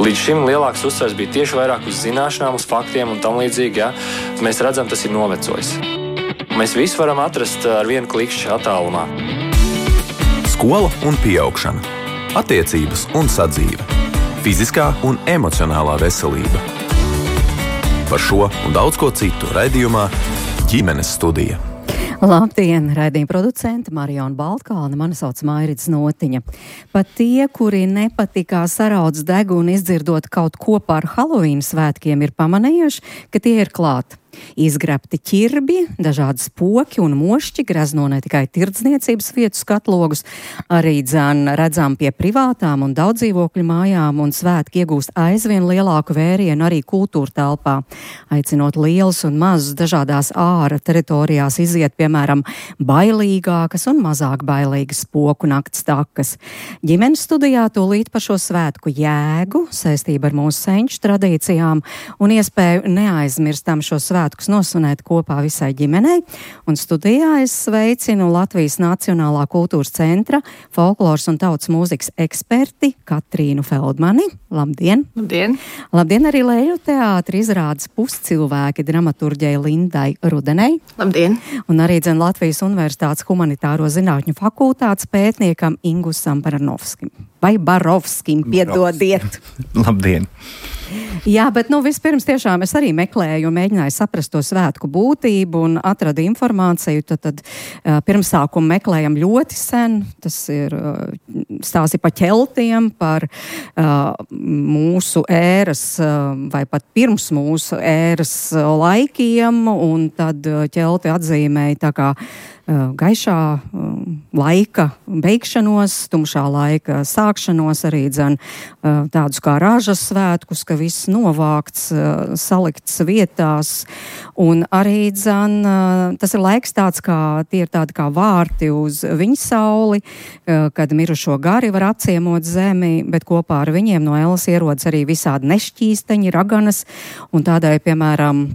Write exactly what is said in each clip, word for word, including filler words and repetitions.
Līdz šim lielāks uzsvers bija tieši vairāk uz zināšanām, uz faktiem un tam līdzīgi, ja mēs redzam, tas ir novecojis. Mēs visu varam atrast ar vienu klikšķi attālumā. Skola un pieaugšana, attiecības un sadzīve, fiziskā un emocionālā veselība. Par šo un daudz ko citu raidījumā Ģimenes studija. Labdien, raidījuma producente Mariona Baltkalne, mani sauc Mairits Notiņa. Pat tie, kuri nepatikā saraudz degunu izdzirdot kaut ko par Halovīna svētkiem, ir pamanījuši, ka tie ir klāt. Izgrabti ķirbi, dažādi spoki un mošķi grezno ne tikai tirdzniecības vietu skatlogus, arī dzan redzam pie privātām un daudzdzīvokļu mājām, un svētki iegūst aizvien lielāku vērienu arī kultūra telpā, aicinot lielus un mazus dažādās āra teritorijās iziet, piemēram, bailīgākas un mazāk bailīgas spoku nakts takas. Ģimenes studijā tūlīt par šo svētku jēgu, saistību ar mūsu senču tradīcijām un iespēju neaizmirstam šo svētku nosvinēt kopā visai ģimenei, un studijā es sveicinu Latvijas Nacionālā kultūras centra folkloras un tautas mūzikas eksperti Katrīnu Feldmani. Labdien! Labdien! Labdien arī Leļu teātra izrādes Puscilvēki dramaturģei Lindai Rudenei. Labdien! Un arī dzen Latvijas Universitātes humanitāro zinātņu fakultātes pētniekam Ingusam Baranovskim. Vai Barovskim, piedodiet! Labdien! Jā, bet nu vispirms tiešām es arī meklēju un mēģināju saprast to svētku būtību un atradu informāciju. Tad, tad uh, pirmsākumu meklējam ļoti sen. Tas ir uh, stāsti par ķeltiem, par uh, mūsu ēras uh, vai pat pirms mūsu ēras uh, laikiem, un tad uh, ķelti atzīmēja tā kā uh, gaišā uh, laika beigšanos, tumšā laika sākšanos, arī dzen uh, tādus kā ražas svētkus, ka viss novākts, salikts vietās, un arī dzen, tas ir laiks tāds, kā tie ir tādi kā vārti uz viņa sauli, kad mirušo gari var apciemot zemi, bet kopā ar viņiem no Elas ierodas arī visādi nešķīsteņi, raganas, un tādai, piemēram,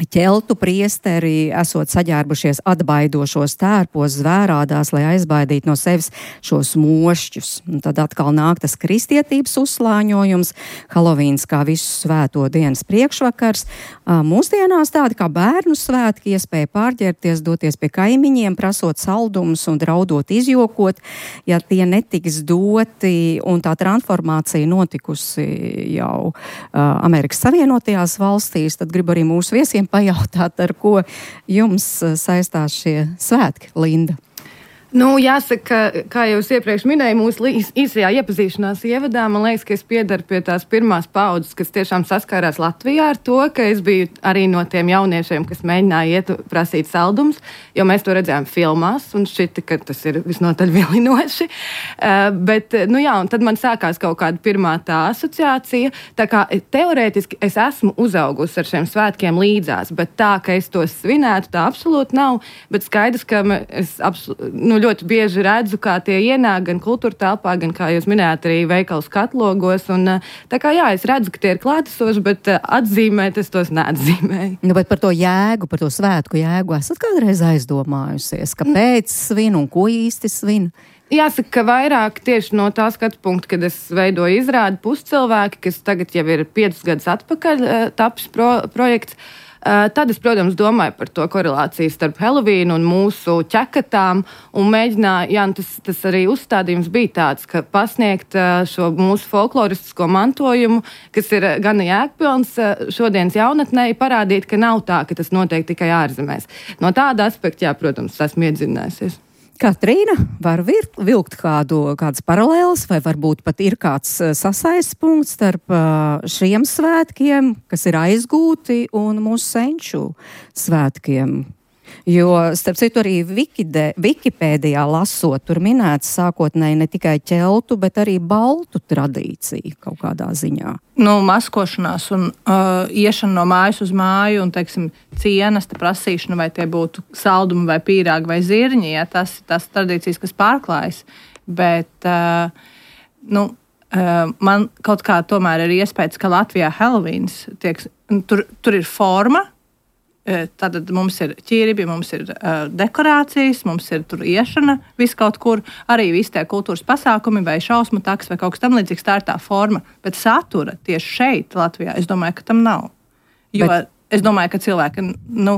ķeltu priesteri esot saģērbušies atbaidošos tērpos zvērādās, lai aizbaidītu no sevis šos mošķus. Un tad atkal nāk tas kristietības uzslāņojums, Halovīns kā visu svēto dienas priekšvakars. Mūsdienās tādi kā bērnu svētki, iespēja pārģērties, doties pie kaimiņiem, prasot saldumus un draudot izjokot, ja tie netiks doti, un tā transformācija notikusi jau Amerikas Savienotajās valstīs, tad gribu arī mūsu viesiem pajautāt, ar ko jums saistās šie svētki, Linda? Nu, jāsaka, kā jau es iepriekš minēju, mūsu īsajā iepazīšanās ievadā, man liekas, ka es piedaru pie tās pirmās paudzes, kas tiešām saskārās Latvijā ar to, ka es biju arī no tiem jauniešiem, kas mēģināja iet prasīt saldumus, jo mēs to redzējām filmās, un šķita, ka tas ir visnotaļ vilinoši. Uh, bet, nu jā, un tad man sākās kaut kāda pirmā tā asociācija, tā kā teorētiski es esmu uzaugusi ar šiem svētkiem līdzās, bet tā, ka es to svinētu, tā absolūti nav, bet skaidrs, ka es absolūti, nu, ļoti bieži redzu, kā tie ienāk gan kultūra telpā, gan, kā jūs minējāt, arī veikalu skatlogos. Un, tā kā jā, es redzu, ka tie ir klātesoši, bet atzīmēt es tos neatzīmēju. Nu, bet par to jēgu, par to svētku jēgu esat kādreiz aizdomājusies? Kāpēc svin un ko īsti svin? Jāsaka, ka vairāk tieši no tā skatu punkta, kad es veidoju izrādi Puscilvēki, kas tagad jau ir piecus gadus atpakaļ tapis pro, projekts. Tad es, protams, domāju par to korelāciju starp Helovīnu un mūsu ķekatām un mēģināju, jā, tas, tas arī uzstādījums bija tāds, ka pasniegt šo mūsu folkloristisko mantojumu, kas ir gana jēgpilns šodienas jaunatnei, parādīt, ka nav tā, ka tas notiek tikai ārzemēs. No tāda aspekta, jā, protams, esmu iedzinājusies. Katrīna, var vilkt, vilkt kādu, kādas paralēlas, vai varbūt pat ir kāds sasaistes punkts starp šiem svētkiem, kas ir aizgūti, un mūsu senču svētkiem? Jo, starp citu, arī Vikide, Wikipēdijā lasot, tur minēts sākotnēji ne tikai ķeltu, bet arī baltu tradīcija kaut kādā ziņā. Nu, maskošanās un uh, iešana no mājas uz māju un, teiksim, cienesta prasīšana, vai tie būtu saldumi vai pīrāgi vai zirņi, ja tas ir tās tradīcijas, kas pārklājas. Bet, uh, nu, uh, man kaut kā tomēr ir iespējas, ka Latvijā Helovīns tiek, tur, tur ir forma, Tad mums ir ķirbi, mums ir uh, dekorācijas, mums ir tur iešana, viss kaut kur, arī visi tie kultūras pasākumi vai šausmu taks vai kaut kas tam līdzīgs, tā ir tā forma. Bet satura tieši šeit, Latvijā, es domāju, ka tam nav. Jo Bet... es domāju, ka cilvēki nu,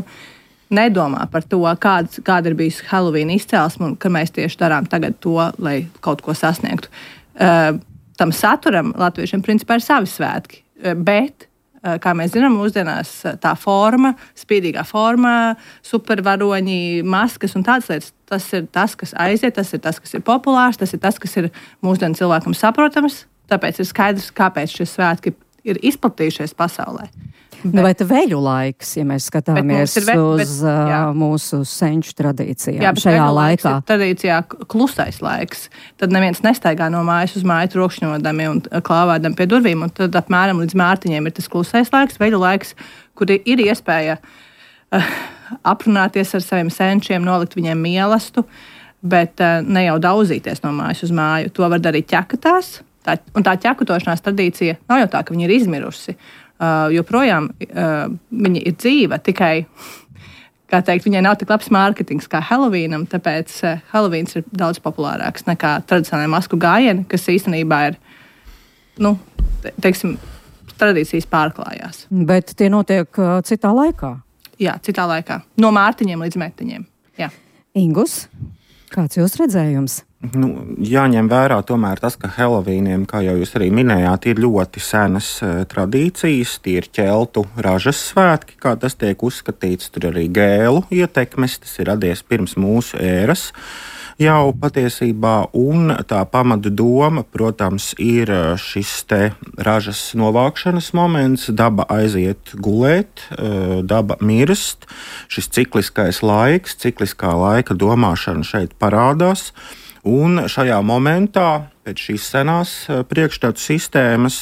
nedomā par to, kāds, kāda ir bijusi Halloween izcelsme un ka mēs tieši darām tagad to, lai kaut ko sasniegtu. Uh, tam saturam latviešiem principā ir savi svētki, uh, bet kā mēs zinām, mūsdienās tā forma, spīdīgā forma, supervaroņi, maskas un tādas lietas, tas ir tas, kas aiziet, tas ir tas, kas ir populārs, tas ir tas, kas ir mūsdienu cilvēkam saprotams, tāpēc ir skaidrs, kāpēc šie svētki ir izplatījušies pasaulē. Bet, nu, vai te veļu laiks, ja mēs skatāmies ve, uz bet, jā. mūsu senču tradīcijām jā, šajā laikā? Tradīcijā klusais laiks. Tad neviens nestaigā no mājas uz māju trokšņodami un klāvādami pie durvīm, un tad apmēram līdz mārtiņiem ir tas klusais laiks, veļu laiks, kur ir iespēja uh, aprunāties ar saviem senčiem, nolikt viņiem mīlestību, bet uh, ne jau daudzīties no mājas uz māju. To var darīt ķekatās, tā, un tā ķekutošanās tradīcija nav jau tā, ka viņa ir izmirusi. Uh, joprojām uh, viņa ir dzīva, tikai, kā teikt, viņai nav tik labs mārketings kā Halloweenam, tāpēc uh, Halloweens ir daudz populārāks nekā tradicionālajā masku gājieni, kas īstenībā ir, nu, te, teiksim, tradīcijas pārklājās. Bet tie notiek uh, citā laikā? Jā, citā laikā. No mārtiņiem līdz metiņiem. Jā. Ingus, kāds jūs redzējums? Nu, jāņem vērā tomēr tas, ka Halloweeniem, kā jau jūs arī minējāt, ir ļoti senas uh, tradīcijas. Tie ir ķeltu ražas svētki, kā tas tiek uzskatīts. Tur arī gēlu ietekmes, tas ir radies pirms mūsu ēras jau patiesībā. Un tā pamata doma, protams, ir šis te ražas novākšanas moments. Daba aiziet gulēt, uh, daba mirst. Šis cikliskais laiks, cikliskā laika domāšana šeit parādās. Un šajā momentā, pēc šīs senās priekšstatu sistēmas,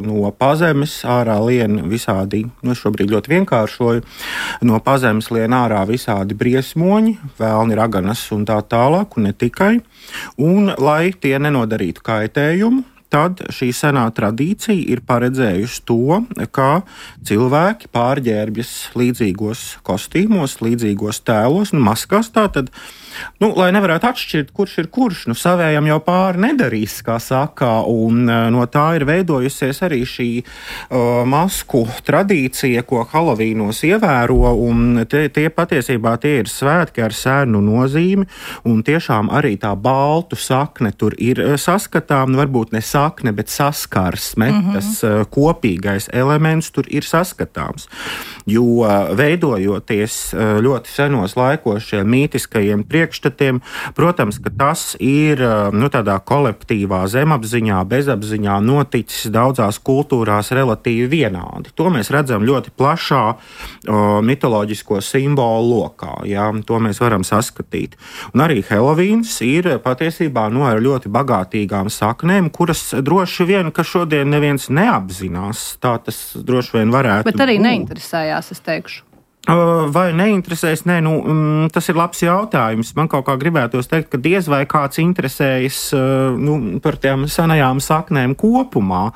no pazemes ārā lien visādi, nu šobrīd ļoti vienkāršoju, no pazemes lien ārā visādi briesmoņi, vēlni, raganas un tā tālāk, un ne tikai. Un, lai tie nenodarītu kaitējumu, tad šī senā tradīcija ir paredzējusi to, ka cilvēki pārģērbjas līdzīgos kostīmos, līdzīgos tēlos un maskās. Tātad, nu, lai nevarētu atšķirt, kurš ir kurš, nu, savējam jau pāri nedarīs, kā saka, un no tā ir veidojusies arī šī uh, masku tradīcija, ko Hallovīnos ievēro, un tie, tie patiesībā tie ir svētki ar sēnu nozīmi, un tiešām arī tā baltu sakne tur ir saskatām, nu, varbūt ne sakne, bet saskarsme, mm-hmm. tas uh, kopīgais elements tur ir saskatāms, jo uh, veidojoties uh, ļoti senos laikos šiem mītiskajiem priekšstatiem, protams, ka tas ir nu, tādā kolektīvā zemapziņā, bezapziņā noticis daudzās kultūrās relatīvi vienādi. To mēs redzam ļoti plašā o, mitoloģisko simbolu lokā. Jā, to mēs varam saskatīt. Un arī Halloweens ir patiesībā nu, ar ļoti bagātīgām saknēm, kuras droši vien, ka šodien neviens neapzinās. Tā tas droši vien varētu būt. Bet arī neinteresējās, es teikšu. Vai neinteresēs? Nē, nu, tas ir labs jautājums. Man kaut kā gribētos teikt, ka diez vai kāds interesējas nu, par tām senajām saknēm kopumā,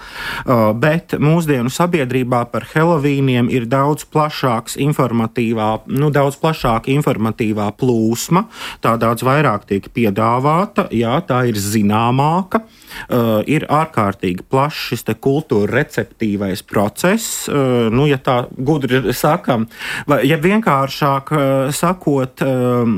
bet mūsdienu sabiedrībā par Halloweeniem ir daudz plašāks informatīvā, nu, daudz plašāka informatīvā plūsma, tā daudz vairāk tiek piedāvāta, jā, tā ir zināmāka. Uh, ir ārkārtīgi plašs šis te kultūra receptīvais process, uh, nu, ja tā gudri sakam, vai, ja vienkāršāk uh, sakot, um,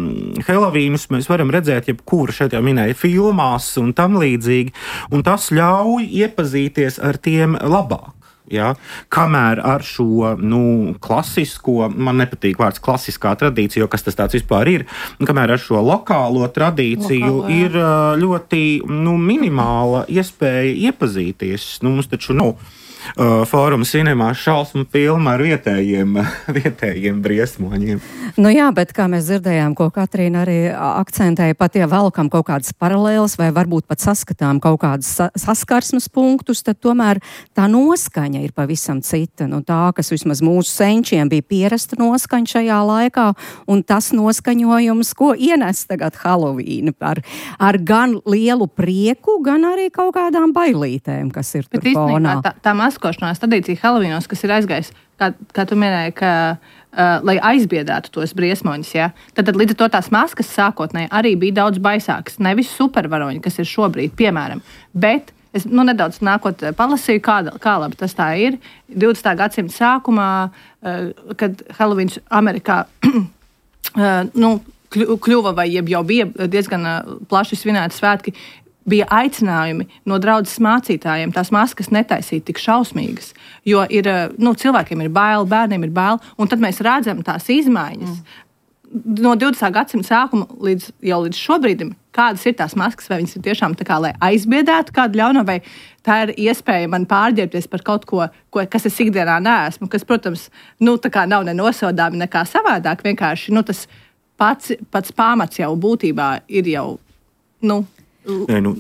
Hallovīnus mēs varam redzēt, jebkuru šeit jau minēja filmās un tam līdzīgi, un tas ļauj iepazīties ar tiem labāk. Ja? Kamēr ar šo nu, klasisko, man nepatīk vārds klasiskā tradīcija, jo kas tas tāds vispār ir, kamēr ar šo lokālo tradīciju Lokālo, ir ļoti nu, minimāla iespēja iepazīties. Nu, mums taču nav uh, Fóruma Cinemā šausmu filma ar vietējiem, vietējiem briesmoņiem. Nu jā, bet kā mēs dzirdējām, ko Katrīna arī akcentēja, pat ja velkam kaut kādas paralēlas vai varbūt pat saskatām kaut kādas sa- saskarsmes punktus, tad tomēr tā noskaņa ir pavisam cita. Nu, tā, kas vismaz mūsu senčiem bija pierasta noskaņa šajā laikā, un tas noskaņojums, ko ienes tagad Halloween, ar, ar gan lielu prieku, gan arī kaut kādām bailītēm, kas ir tur fonā. Tā, tā maskošanās tradīcija Helovīnos, kas ir aizgājis, kā, kā tu minēji, ka, uh, lai aizbiedētu tos briesmoņus. Ja? Tad, tad līdz ar to tās maskas sākotnēji arī bija daudz baisākas. Nevis supervaroņi, kas ir šobrīd, piemēram. Bet es nu, nedaudz nākot palasīju, kā, kā labi tas tā ir. divdesmitā gadsimta sākumā, uh, kad Helovīns Amerikā uh, nu, kļuva vai jau bija diezgan uh, plaši svinēti svētki, bija aicinājumi no draudzes mācītājiem tās maskas netaisīt tik šausmīgas, jo ir, nu, cilvēkiem ir bail, bērniem ir bail, un tad mēs redzam tās izmaiņas. Mm. No divdesmitā gadsimta sākuma līdz, jau līdz šobrīdim, kādas ir tās maskas, vai viņas ir tiešām tā kā, lai aizbiedētu kādu ļauno, vai tā ir iespēja man pārģērbties par kaut ko, ko kas es ikdienā neesmu, kas, protams, nu, tā kā nav ne nosodāmi, nekā savādāk, vienkārši, nu, tas pats, pats pamats jau būtībā ir jau, nu, Nē, nu,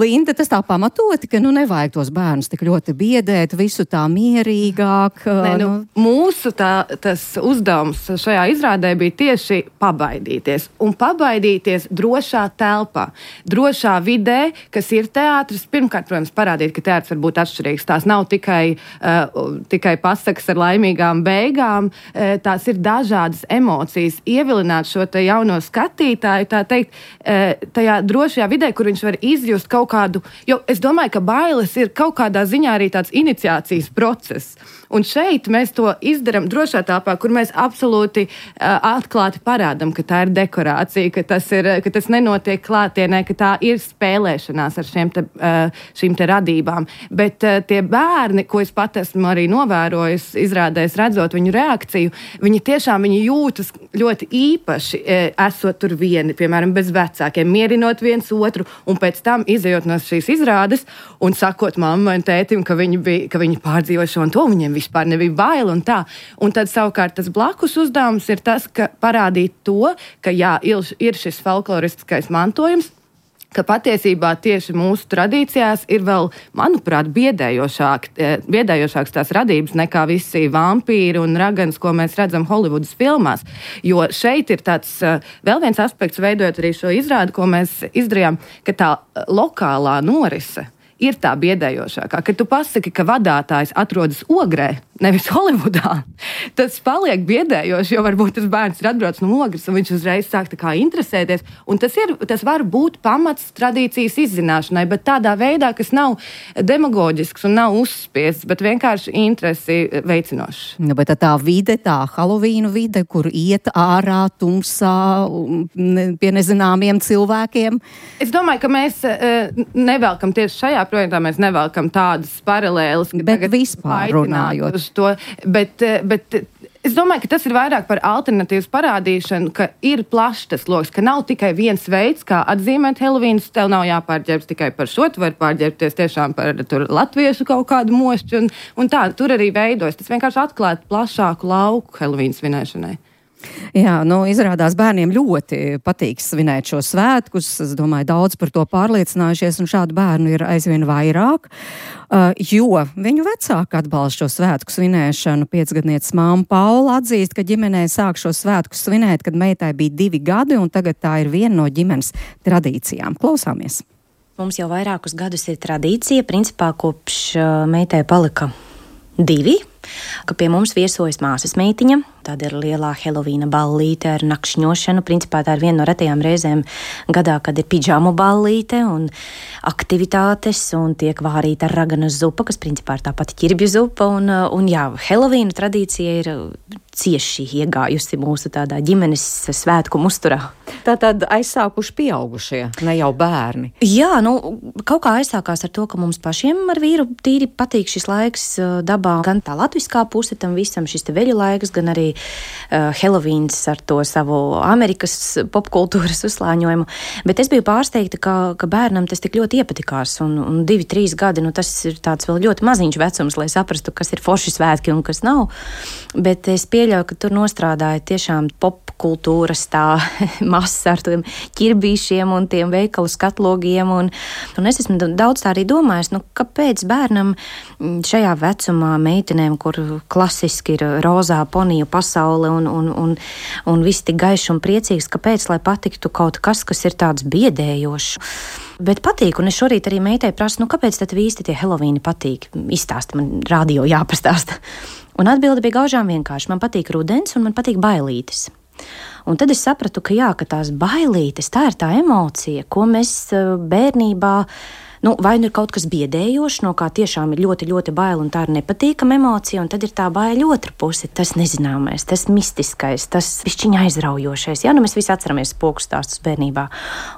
Linda, tas tā pamatoti, ka nu nevajag tos bērnus tik ļoti biedēt, visu tā mierīgāk. Nē, nu, nu. Mūsu tā, tas uzdevums šajā izrādē bija tieši pabaidīties. Un pabaidīties drošā telpā, drošā vidē, kas ir teātris. Pirmkārt, protams, parādīt, ka teātris var būt atšķirīgs. Tās nav tikai, uh, tikai pasakas ar laimīgām beigām, uh, tās ir dažādas emocijas. Ievilināt šo te jauno skatītāju, tā teikt, uh, tajā drošajā vidē, kur viņš var izjust kaut kādu, jo es domāju, ka bailes ir kaut kādā ziņā arī tāds iniciācijas process. Un šeit mēs to izdaram drošā telpā, kur mēs absolūti uh, atklāti parādam, ka tā ir dekorācija, ka tas, ir, ka tas nenotiek klātienē, ka tā ir spēlēšanās ar šiem te, uh, šīm te radībām. Bet uh, tie bērni, ko es pat esmu arī novērojis, izrādēs redzot viņu reakciju, viņi tiešām viņi jūtas ļoti īpaši, uh, esot tur vieni, piemēram, bez vecākiem, mierinot viens otru, un pēc tam izejot no šīs izrādes un sakot mammai un tētim, ka viņi, bija, ka viņi pārdzīvo šo un to, viņiem vispār nebija baila un tā. Un tad savukārt tas blakus uzdevums ir tas, ka parādīt to, ka jā, ir šis folkloristiskais mantojums, ka patiesībā tieši mūsu tradīcijās ir vēl, manuprāt, biedējošāk, biedējošāks tās radības nekā visi vampīri un raganas, ko mēs redzam Holivudas filmās. Jo šeit ir tāds vēl viens aspekts, veidojot arī šo izrādi, ko mēs izdarījām, ka tā lokālā norise ir tā biedējošākā. Kad tu pasaki, ka vadātājs atrodas Ogrē, nevis Holivudā, tas paliek biedējoši, jo varbūt tas bērns ir atbraucis no Ogres, un viņš uzreiz sāk tā kā interesēties. Un tas, ir, tas var būt pamats tradīcijas izzināšanai, bet tādā veidā, kas nav demagoģisks un nav uzspiests, bet vienkārši interesi veicinošs. Ja, bet tā vide, tā Halovīnu vide, kur iet ārā tumsā pie nezināmiem cilvēkiem. Es domāju, ka mēs nevelkam tieši šajā projektā, mēs nevelkam tādas paralēlas. Bet vispār runājot. To, bet, bet es domāju, ka tas ir vairāk par alternatīvas parādīšanu, ka ir plašs tas loks, ka nav tikai viens veids, kā atzīmēt Helovīnus. Tev nav jāpārģērbs tikai par šo, tu vari pārģērbties tiešām par tur latviešu kaut kādu mošķu un, un tā, tur arī veidojas. Tas vienkārši atklāt plašāku lauku Helovīnas svinēšanai. Jā, nu, izrādās bērniem ļoti patīk svinēt šo svētkus. Es domāju, daudz par to pārliecinājušies, un šādu bērnu ir aizvien vairāk, uh, jo viņu vecāki atbalsta šo svētku svinēšanu. Piecgadnieces māma Paula atzīst, ka ģimenē sāk šo svētku svinēt, kad meitai bija divi gadi, un tagad tā ir viena no ģimenes tradīcijām. Klausāmies! Mums jau vairākus gadus ir tradīcija, principā kopš uh, meitai palika divi, ka pie mums viesojas māsas meitiņa. Tāda ir lielā Helovīna ballīte ar nakšņošanu. Principā tā ir viena no retajām reizēm gadā, kad ir pidžamu ballīte un aktivitātes, un tiek vārīta raganas zupa, kas principā ir tā pati ķirbju zupa. Un, un jā, Helovīna tradīcija ir cieši iegājusi mūsu tādā ģimenes svētku uzturā. Tātad aizsākuši pieaugušie, ne jau bērni. Jā, nu, kaut kā aizsākās ar to, ka mums pašiem ar vīru tīri patīk šis laiks dabā. Gan tā latviskā puse tam visam, šis te veļu laiks, gan arī uh, Helovīns ar to savu Amerikas popkultūras uzslāņojumu. Bet es biju pārsteigta, ka, ka bērnam tas tik ļoti iepatikās. Un, un divi, trīs gadi, nu tas ir tāds vēl ļoti maziņš vecums, lai saprastu, kas ir forši svētki un kas nav. Bet es pieļauju, ka tur nostrādāja tiešām pop kultūras tā masa ar tiem ķirbīšiem un tiem veikalu skatlogiem. Un, un es esmu daudz tā arī domājis, nu, kāpēc bērnam šajā vecumā meitenēm, kur klasiski ir rozā poniju pasaule un, un, un, un viss tik gaišs un priecīgs, kāpēc, lai patiktu kaut kas, kas ir tāds biedējošs. Bet patīk, un es šorīt arī meitai prasu, nu kāpēc tad īsti tie Helovīni patīk? Izstāsti, man radio jāpastāsta. Un atbilde bija gaužām vienkārši. Man patīk rudens un man patīk bailītes. Un tad es sapratu, ka jā, ka tās bailītes, tā ir tā emocija, ko mēs bērnībā, nu, vai nu ir kaut kas biedējošs, no kā tiešām ir ļoti, ļoti baila un tā ir nepatīkama emocija, un tad ir tā baila otra puse, tas nezināmais, tas mistiskais, tas pišķiņa aizraujošais. Jā, nu mēs visi atceramies spoku stāstus bērnībā.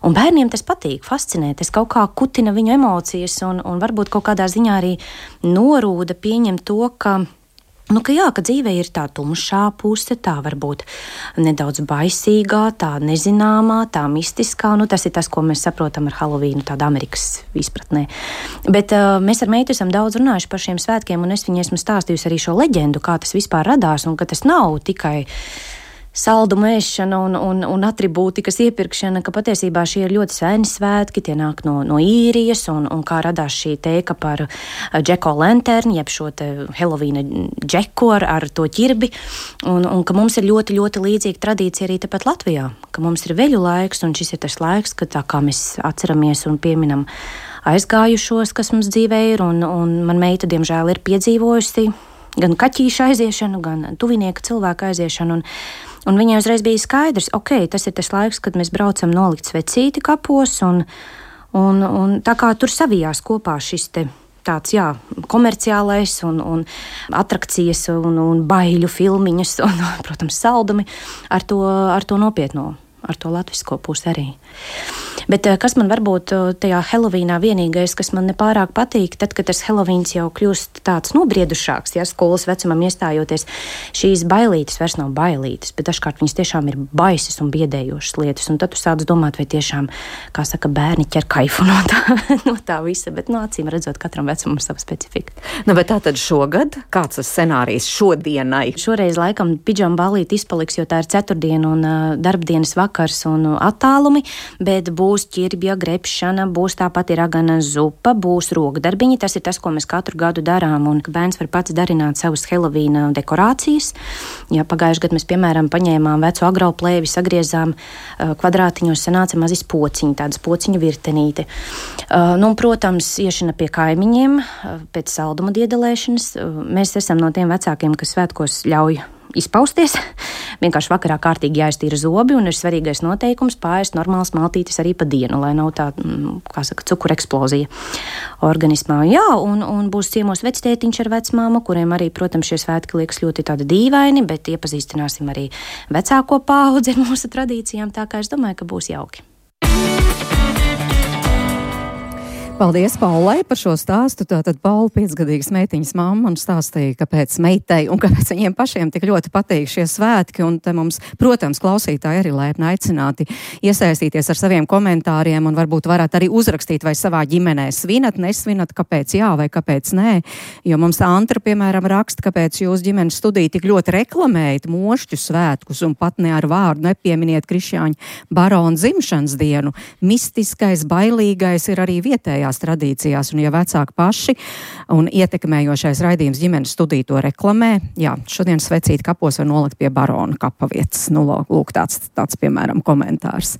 Un bērniem tas patīk, fascinē, tas kaut kā kutina viņu emocijas un, un varbūt kaut kādā ziņā arī norūda pieņemt to, ka Nu, ka jā, ka dzīvē ir tā tumšā puse, tā varbūt nedaudz baisīgā, tā nezināmā, tā mistiskā. Nu, tas ir tas, ko mēs saprotam ar Helovīnu, tāda Amerikas izpratnē. Bet uh, mēs ar meitu esam daudz runājuši par šiem svētkiem, un es viņai esmu stāstījusi arī šo leģendu, kā tas vispār radās, un ka tas nav tikai saldumu ēšana un, un, un atribūtikas iepirkšana, ka patiesībā šie ir ļoti seni svētki, tie nāk no, no īrijas, un, un kā radās šī teika par Jack-o'-lantern, jeb šo te Helovīna džeku ar, ar to ķirbi, un, un ka mums ir ļoti, ļoti līdzīga tradīcija arī tepat Latvijā, ka mums ir veļu laiks, un šis ir tas laiks, kad tā kā mēs atceramies un pieminam aizgājušos, kas mums dzīvē ir, un, un man meita, diemžēl, ir piedzīvojusi gan kaķīša aiziešanu, gan tuvinieka cilvēka aiziešanu, un Un viņai uzreiz bija skaidrs, ok, tas ir tas laiks, kad mēs braucam nolikt svecīti kapos, un, un, un tā kā tur savijās kopā šis te tāds, jā, komerciālais un, un atrakcijas un, un baiļu filmiņas un, protams, saldumi ar to, ar to nopietno, ar to latvisko pusi arī. Bet kas man varbūt tajā Helovīnā vienīgais, kas man nepārāk patīk, tad, kad tas Helovīns jau kļūst tāds nobriedušāks, ja skolas vecumam iestājoties, šīs bailītes vairs nav bailītes, bet dažkārt viņas tiešām ir baisas un biedējošas lietas, un tad tu sāc domāt, vai tiešām, kā saka, bērni ķer kaifu no tā, no tā visa, bet, nu, acīm redzot, katram vecumam ir sava specifika. Nu, bet tā tad šogad, kāds tas scenārijs šodienai? Šoreiz laikam pidžama ballīte izpaliks, jo tā ir ceturtdiena un uh, darbdienas vakars un uh, attālumi, bet būs ķirbja grebšana, būs tāpat ir agana zupa, būs rokdarbiņi. Tas ir tas, ko mēs katru gadu darām, un bērns var pats darināt savas Helovīna dekorācijas. Ja pagājuši gadu mēs, piemēram, paņēmām veco agrauplēvi, sagriezām uh, kvadrātiņos, sanāca mazis pociņi, tādas pociņu virtenīte. Uh, nu, protams, iešana pie kaimiņiem, uh, pēc salduma diedelēšanas. Uh, mēs esam no tiem vecākiem, kas svētkos ļauj izpausties. Vienkārši vakarā kārtīgi jāiztīra zobi, un ir svarīgais noteikums pāriest normāls maltītes arī pa dienu, lai nav tā, kā saka, cukura eksplozija organismā. Jā, un, un būs ciemos vectētiņš ar vecmāmu, kuriem arī, protams, šie svētki liekas ļoti tādi dīvaini, bet iepazīstināsim arī vecāko paudzi ar mūsu tradīcijām, tā kā es domāju, ka būs jauki. Paldies Paulai par šo stāstu. Tātad Paula, piecgadīgas meitiņas mamma, un stāstīja, kāpēc meitai un kāpēc viņiem pašiem tik ļoti patīk šie svētki. Un te mums, protams, klausītāji arī laipni aicināti iesaistīties ar saviem komentāriem, un varbūt varat arī uzrakstīt, vai savā ģimenē svinat, nesvinat, kāpēc jā vai kāpēc nē. Jo mums Antra, piemēram, raksta, kāpēc jūs ģimenes studiju tik ļoti reklamējat mošķu svētkus un pat ne ar vārdu nepieminiet Krišjāņa barona dzimšanas dienu. Mistiskais, bailīgais ir arī vietējā tradīcijās, un ja vecāki paši un ietekmējošais raidījums ģimenes studiju to reklamē, jā, šodien svecīt kapos var nolikt pie barona kapa vietas. Nu, lūk, tāds, tāds, piemēram, komentārs.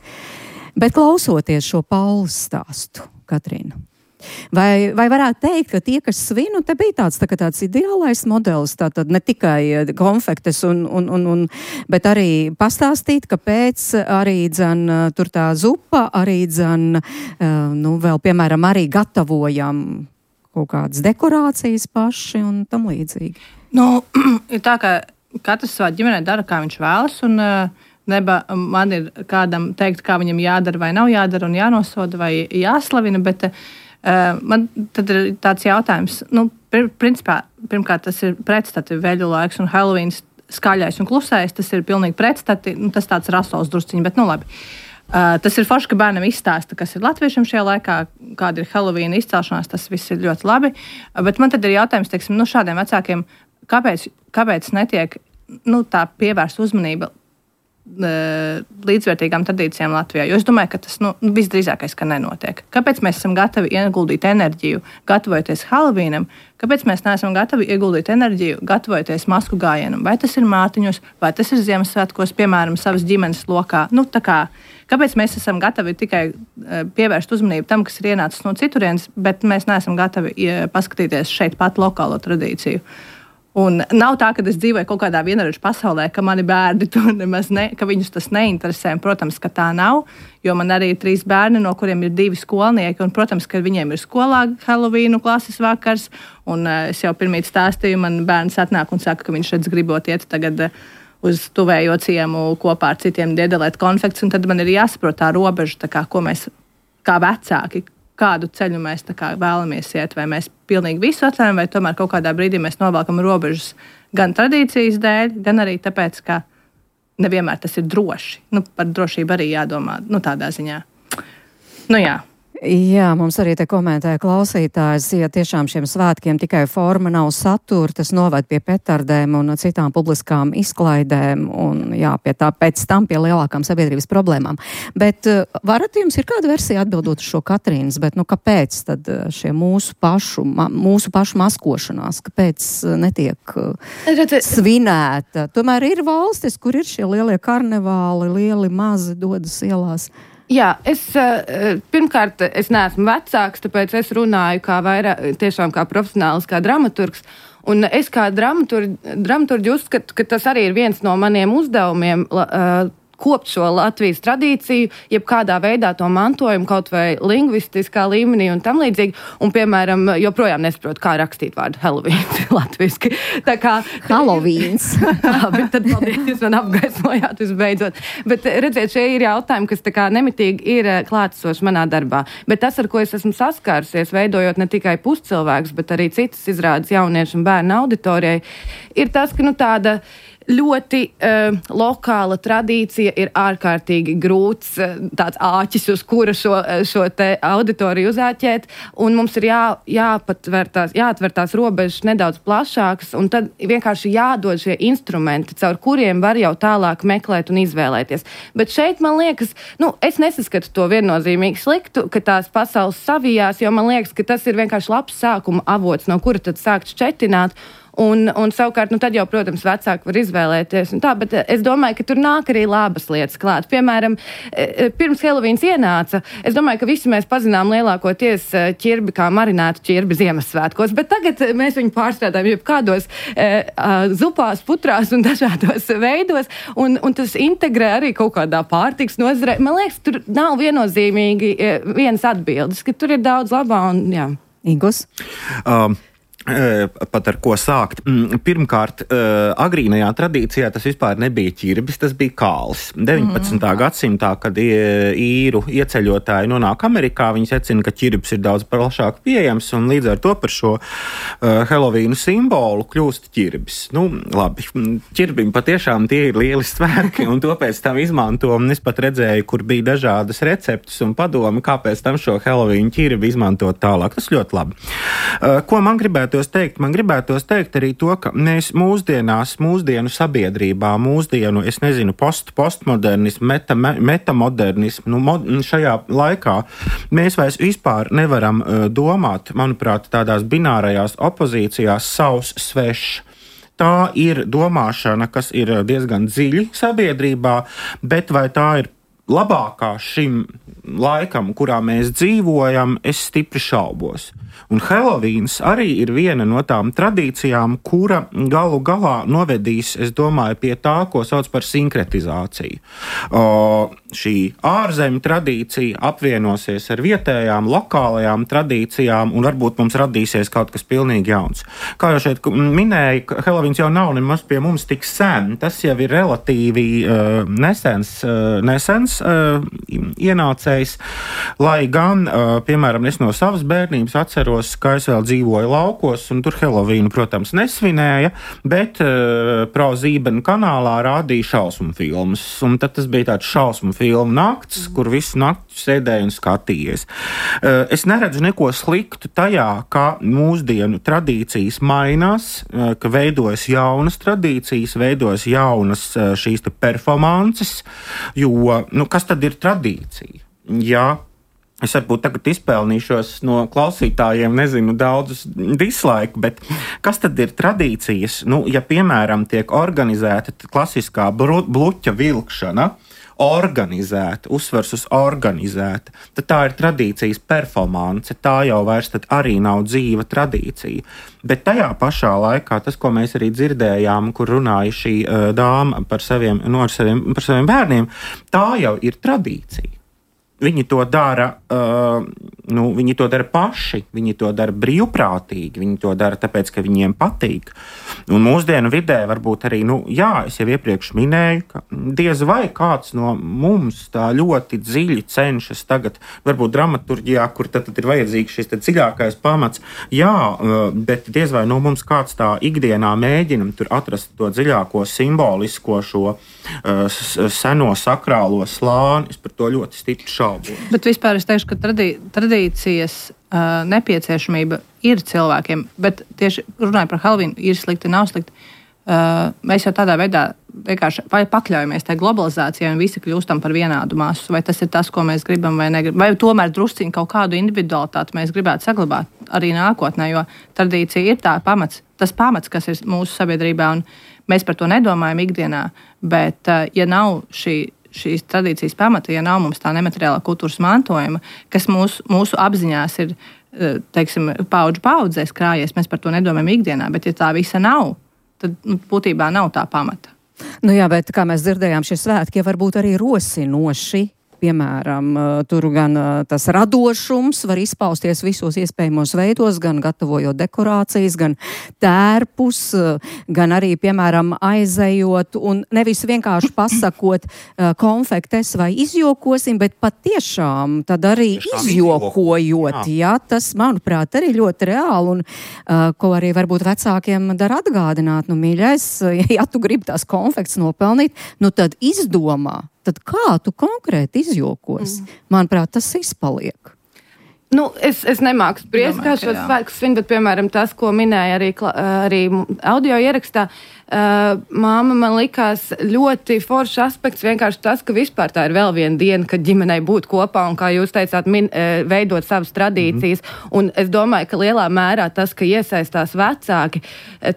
Bet klausoties šo Paulas stāstu, Katrīna, vai, vai varētu teikt, ka tie, kas svinu, te bija tāds, tā, tāds ideālais modelis, tātad ne tikai konfektes, un, un, un, un, bet arī pastāstīt, kāpēc arī dzen tur tā zupa, arī dzen, nu, vēl, piemēram, arī gatavojam kaut kādas dekorācijas paši un tam līdzīgi. Nu, ir tā, ka katrs savā ģimenē dara, kā viņš vēlas, un neba man ir kādam teikt, kā viņam jādara vai nav jādara, un jānosoda vai jāslavina, bet Uh, man tad ir tāds jautājums, nu, pr principā, pirmkārt, tas ir pretstati veļu laiks un Helovīns skaļais un klusais, tas ir pilnīgi pretstati, nu, tas tāds rasols drusciņi, bet nu labi. Uh, tas ir forši, ka bērnam izstāsta, kas ir latviešiem šajā laikā, kāda ir Helovīna izcelšanās, tas viss ir ļoti labi. Uh, bet man tad ir jautājums, teiksim, nu, šādiem vecākiem, kāpēc, kāpēc netiek, nu, tā pievērsta uzmanība līdzvērtīgām tradīcijām Latvijā. Jo es domāju, ka tas nu, visdrīzākais, ka nenotiek. Kāpēc mēs esam gatavi ieguldīt enerģiju, gatavojoties Halovīnam? Kāpēc mēs neesam gatavi ieguldīt enerģiju, gatavojoties masku gājienam? Vai tas ir Mārtiņos, vai tas ir Ziemassvētkos, piemēram, savas ģimenes lokā? Nu, tā kā, kāpēc mēs esam gatavi tikai pievērst uzmanību tam, kas ir ienācis no citurienes, bet mēs neesam gatavi paskatīties šeit pat lokālo tradīciju? Un nav tā, ka es dzīvoju kaut kādā vienarodžu pasaulē, ka mani bērni to nemaz ne, ka viņus tas neinteresē. Protams, ka tā nav, jo man arī ir trīs bērni, no kuriem ir divi skolnieki. Un, protams, ka viņiem ir skolā Halovīnu klases vakars. Un es jau pirmīt stāstīju, man bērns atnāk un saka, ka viņš redz gribot iet tagad uz tuvējo ciemu kopā ar citiem diedelēt konfekts. Un tad man ir jāsaprot tā robeža, tā kā, ko mēs kā vecāki, kādu ceļu mēs kā vēlamies iet, vai mēs pilnīgi visu atļaujam, vai tomēr kaut kādā brīdī mēs novelkam robežas gan tradīcijas dēļ, gan arī tāpēc, ka nevienmēr tas ir droši. Nu, par drošību arī jādomā, nu, tādā ziņā. Nu, jā. Jā, mums arī te komentēja klausītājs, ja tiešām šiem svētkiem tikai forma nav satura, tas noved pie petardēm un citām publiskām izklaidēm un jā, pie tā, pēc tam pie lielākām sabiedrības problēmām. Bet varat jums ir kāda versija atbildot uz šo Katrīnas, bet nu kāpēc tad šie mūsu pašu, ma, mūsu pašu maskošanās, kāpēc netiek svinēta? Tomēr ir valstis, kur ir šie lielie karnevāli, lieli mazi dodas ielās. Jā, es pirmkārt, es neesmu vecāks, tāpēc es runāju kā vairāk, tiešām kā profesionāls, kā dramaturgs. Un es kā dramaturgi, dramaturgi uzskatu, ka tas arī ir viens no maniem uzdevumiem, kopt šo Latvijas tradīciju, jeb kādā veidā to mantojumu, kaut vai lingvistiskā līmenī un tam līdzīgi. Un, piemēram, joprojām nesaprotu, kā rakstīt vārdu Halovīns latviski. Tā kā... Halovīns. Labi, tad paldies, jūs man apgaismojāt visbeidzot. Bet, redziet, šie ir jautājumi, kas tā kā nemitīgi ir klātesoši manā darbā. Bet tas, ar ko es esmu saskārusies, veidojot ne tikai puscilvēkus, bet arī citas izrādes jauniešu un bērnu auditorijai, ir tas, ka, nu, tāda ļoti uh, lokāla tradīcija ir ārkārtīgi grūts uh, tāds āķis, uz kura šo, šo te auditoriju uzāķēt, un mums ir jā, jāpatver tās, jāatver tās robežas nedaudz plašākas, un tad vienkārši jādod šie instrumenti, caur kuriem var jau tālāk meklēt un izvēlēties. Bet šeit, man liekas, nu, es nesaskatu to viennozīmīgi sliktu, ka tās pasaules savijās, jo man liekas, ka tas ir vienkārši labs sākuma avots, no kura tad sākt šķetināt. Un, un savukārt, nu tad jau, protams, vecāki var izvēlēties un tā, bet es domāju, ka tur nāk arī labas lietas klāt. Piemēram, pirms Helovīns ienāca, es domāju, ka visi mēs pazinām lielākoties ķirbi kā marinētu ķirbi Ziemassvētkos, bet tagad mēs viņu pārstrādājam jebkādos e, zupās, putrās un dažādos veidos, un, un tas integrē arī kaut kādā pārtiks nozarē. Man liekas, tur nav viennozīmīgi vienas atbildes, ka tur ir daudz labā un jā. Ingus? Um. Pat ar ko sākt. Pirmkārt, agrīnajā tradīcijā tas vispār nebija ķirbis, tas bija kāls. deviņpadsmitā Mm. gadsimtā, kad īru ieceļotāji nonāk Amerikā, viņi secina, ka ķirbis ir daudz plašāk pieejams, un līdz ar to par šo uh, Helovīnu simbolu kļūst ķirbis. Nu, labi, ķirbim patiešām tie ir lieli svētki, un to pēc tam izmanto, un es pat redzēju, kur bija dažādas receptes un padomi, kāpēc tam šo Helovīnu ķirbi izmantot tālāk. Tas ļoti labi. Uh, ko man gribētu Teikt, man gribētos teikt arī to, ka mēs mūsdienās, mūsdienu sabiedrībā, mūsdienu, es nezinu, post, postmodernismu, meta, metamodernismu, nu, mod, šajā laikā mēs vairs vispār nevaram uh, domāt, manuprāt, tādās binārajās opozīcijās savs svešs. Tā ir domāšana, kas ir diezgan dziļi sabiedrībā, bet vai tā ir labākā šim laikam, kurā mēs dzīvojam, es stipri šaubos. Un Helovīns arī ir viena no tām tradīcijām, kura galu galā novedīs, es domāju, pie tā, ko sauc par sinkretizāciju. O, šī ārzemju tradīcija apvienosies ar vietējām, lokālajām tradīcijām, un varbūt mums radīsies kaut kas pilnīgi jauns. Kā jau šeit minēja, Helovīns jau nav nemaz pie mums tik sen, tas jau ir relatīvi uh, nesens, uh, nesens uh, ienācējs, lai gan, uh, piemēram, es no savas bērnības atceros, atceros, ka es vēl dzīvoju laukos, un tur Helovīnu, protams, nesvinēja, bet uh, Pro-Zībena kanālā rādīja šausmu filmas. Un tad tas bija tāds šausmu filmu nakts, kur visu nakti sēdēju un skatījies. Uh, es neredzu neko sliktu tajā, ka mūsdienu tradīcijas mainās, uh, ka veidojas jaunas tradīcijas, veidojas jaunas uh, šīs te performances, jo, nu, kas tad ir tradīcija? Jā. Es varbūt tagad izpelnīšos no klausītājiem, nezinu, daudzus dislaiku, bet kas tad ir tradīcijas? Nu, ja, piemēram, tiek organizēta klasiskā bluķa vilkšana, organizēta, uzsvers uz organizēta, tad tā ir tradīcijas performance, tā jau vairs tad arī nav dzīva tradīcija. Bet tajā pašā laikā, tas, ko mēs arī dzirdējām, kur runāja šī uh, dāma par saviem, no, ar saviem, par saviem bērniem, tā jau ir tradīcija. Viņi to dara, uh, nu, viņi to dara paši, viņi to dara brīvprātīgi, viņi to dara tāpēc, ka viņiem patīk. Un mūsdienu vidē varbūt arī, nu, jā, es jau iepriekš minēju, ka diez vai kāds no mums tā ļoti dziļi cenšas tagad, varbūt dramaturģijā, kur tad, tad ir vajadzīgs šis tad dziļākais pamats, jā, uh, bet diez vai no mums kāds tā ikdienā mēģinam tur atrast to dziļāko simbolisko šo uh, seno sakrālo slāni, es par to ļoti stipri šaubu. Bet vispār es teikšu, ka tradī, tradīcijas uh, nepieciešamība ir cilvēkiem, bet tieši runājot par Helovīnu, ir slikti, nav slikti. Uh, mēs jau tādā veidā vienkārši vai pakļaujamies tai globalizācijai un visi kļūstam par vienādu masu, vai tas ir tas, ko mēs gribam vai negribam, vai tomēr drusciņi kaut kādu individualitāti mēs gribētu saglabāt arī nākotnē, jo tradīcija ir tā pamats, tas pamats, kas ir mūsu sabiedrībā, un mēs par to nedomājam ikdienā, bet uh, ja nav šī šīs tradīcijas pamata, ja nav mums tā nemateriālā kultūras mantojuma, kas mūsu, mūsu apziņās ir, teiksim, paudžu paudzēs krājies, mēs par to nedomājam ikdienā, bet ja tā visa nav, tad nu, būtībā nav tā pamata. Nu jā, bet kā mēs dzirdējām, šie svētki ja varbūt arī rosinoši. Piemēram, tur gan tas radošums var izpausties visos iespējamos veidos, gan gatavojot dekorācijas, gan tērpus, gan arī, piemēram, aizejot un nevis vienkārši pasakot konfektes vai izjokosim, bet patiešām tad arī izjokojot. Jā, tas, manuprāt, arī ļoti reāli un ko arī varbūt vecākiem dara atgādināt. Nu, mīļais, ja tu gribi tās konfektes nopelnīt, nu tad izdomā. Tad kā tu konkrēti izjokos? Mm. Manuprāt, tas izpaliek. Nu, es, es nemāku spriest, kā šos svētkus svin, bet, piemēram, tas, ko minēja arī, arī audio ierakstā, uh, māma man likās ļoti foršs aspekts, vienkārši tas, ka vispār tā ir vēl viena diena, kad ģimenei būt kopā un, kā jūs teicāt, min, uh, veidot savas tradīcijas. Mm-hmm. Un es domāju, ka lielā mērā tas, ka iesaistās vecāki,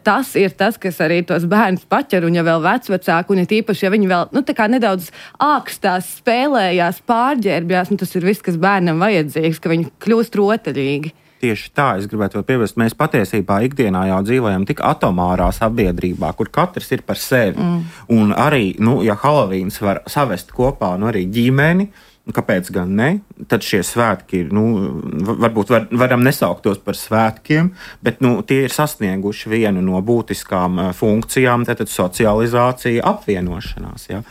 tas ir tas, kas arī tos bērnus paķer, un ja vēl vecvecāki, un ja tīpaši, ja viņi vēl, nu, tā kā nedaudz ākstās, spēlējās, pārģērbjās, nu, tas ir viss, kas bērnam vajadzīgs, ka viņi kļūst rotaļīgi. Tieši tā, es gribētu vēl piebilst, mēs patiesībā ikdienā jau dzīvojam tik atomārā sabiedrībā, kur katrs ir par sevi. Mm. Un arī, nu, ja Helovīns var savest kopā, nu, arī ģimeni, kāpēc gan ne, tad šie svētki, nu, varbūt var, varam nesaukt tos par svētkiem, bet, nu, tie ir sasnieguši vienu no būtiskām funkcijām, tātad socializācija, apvienošanās, jā.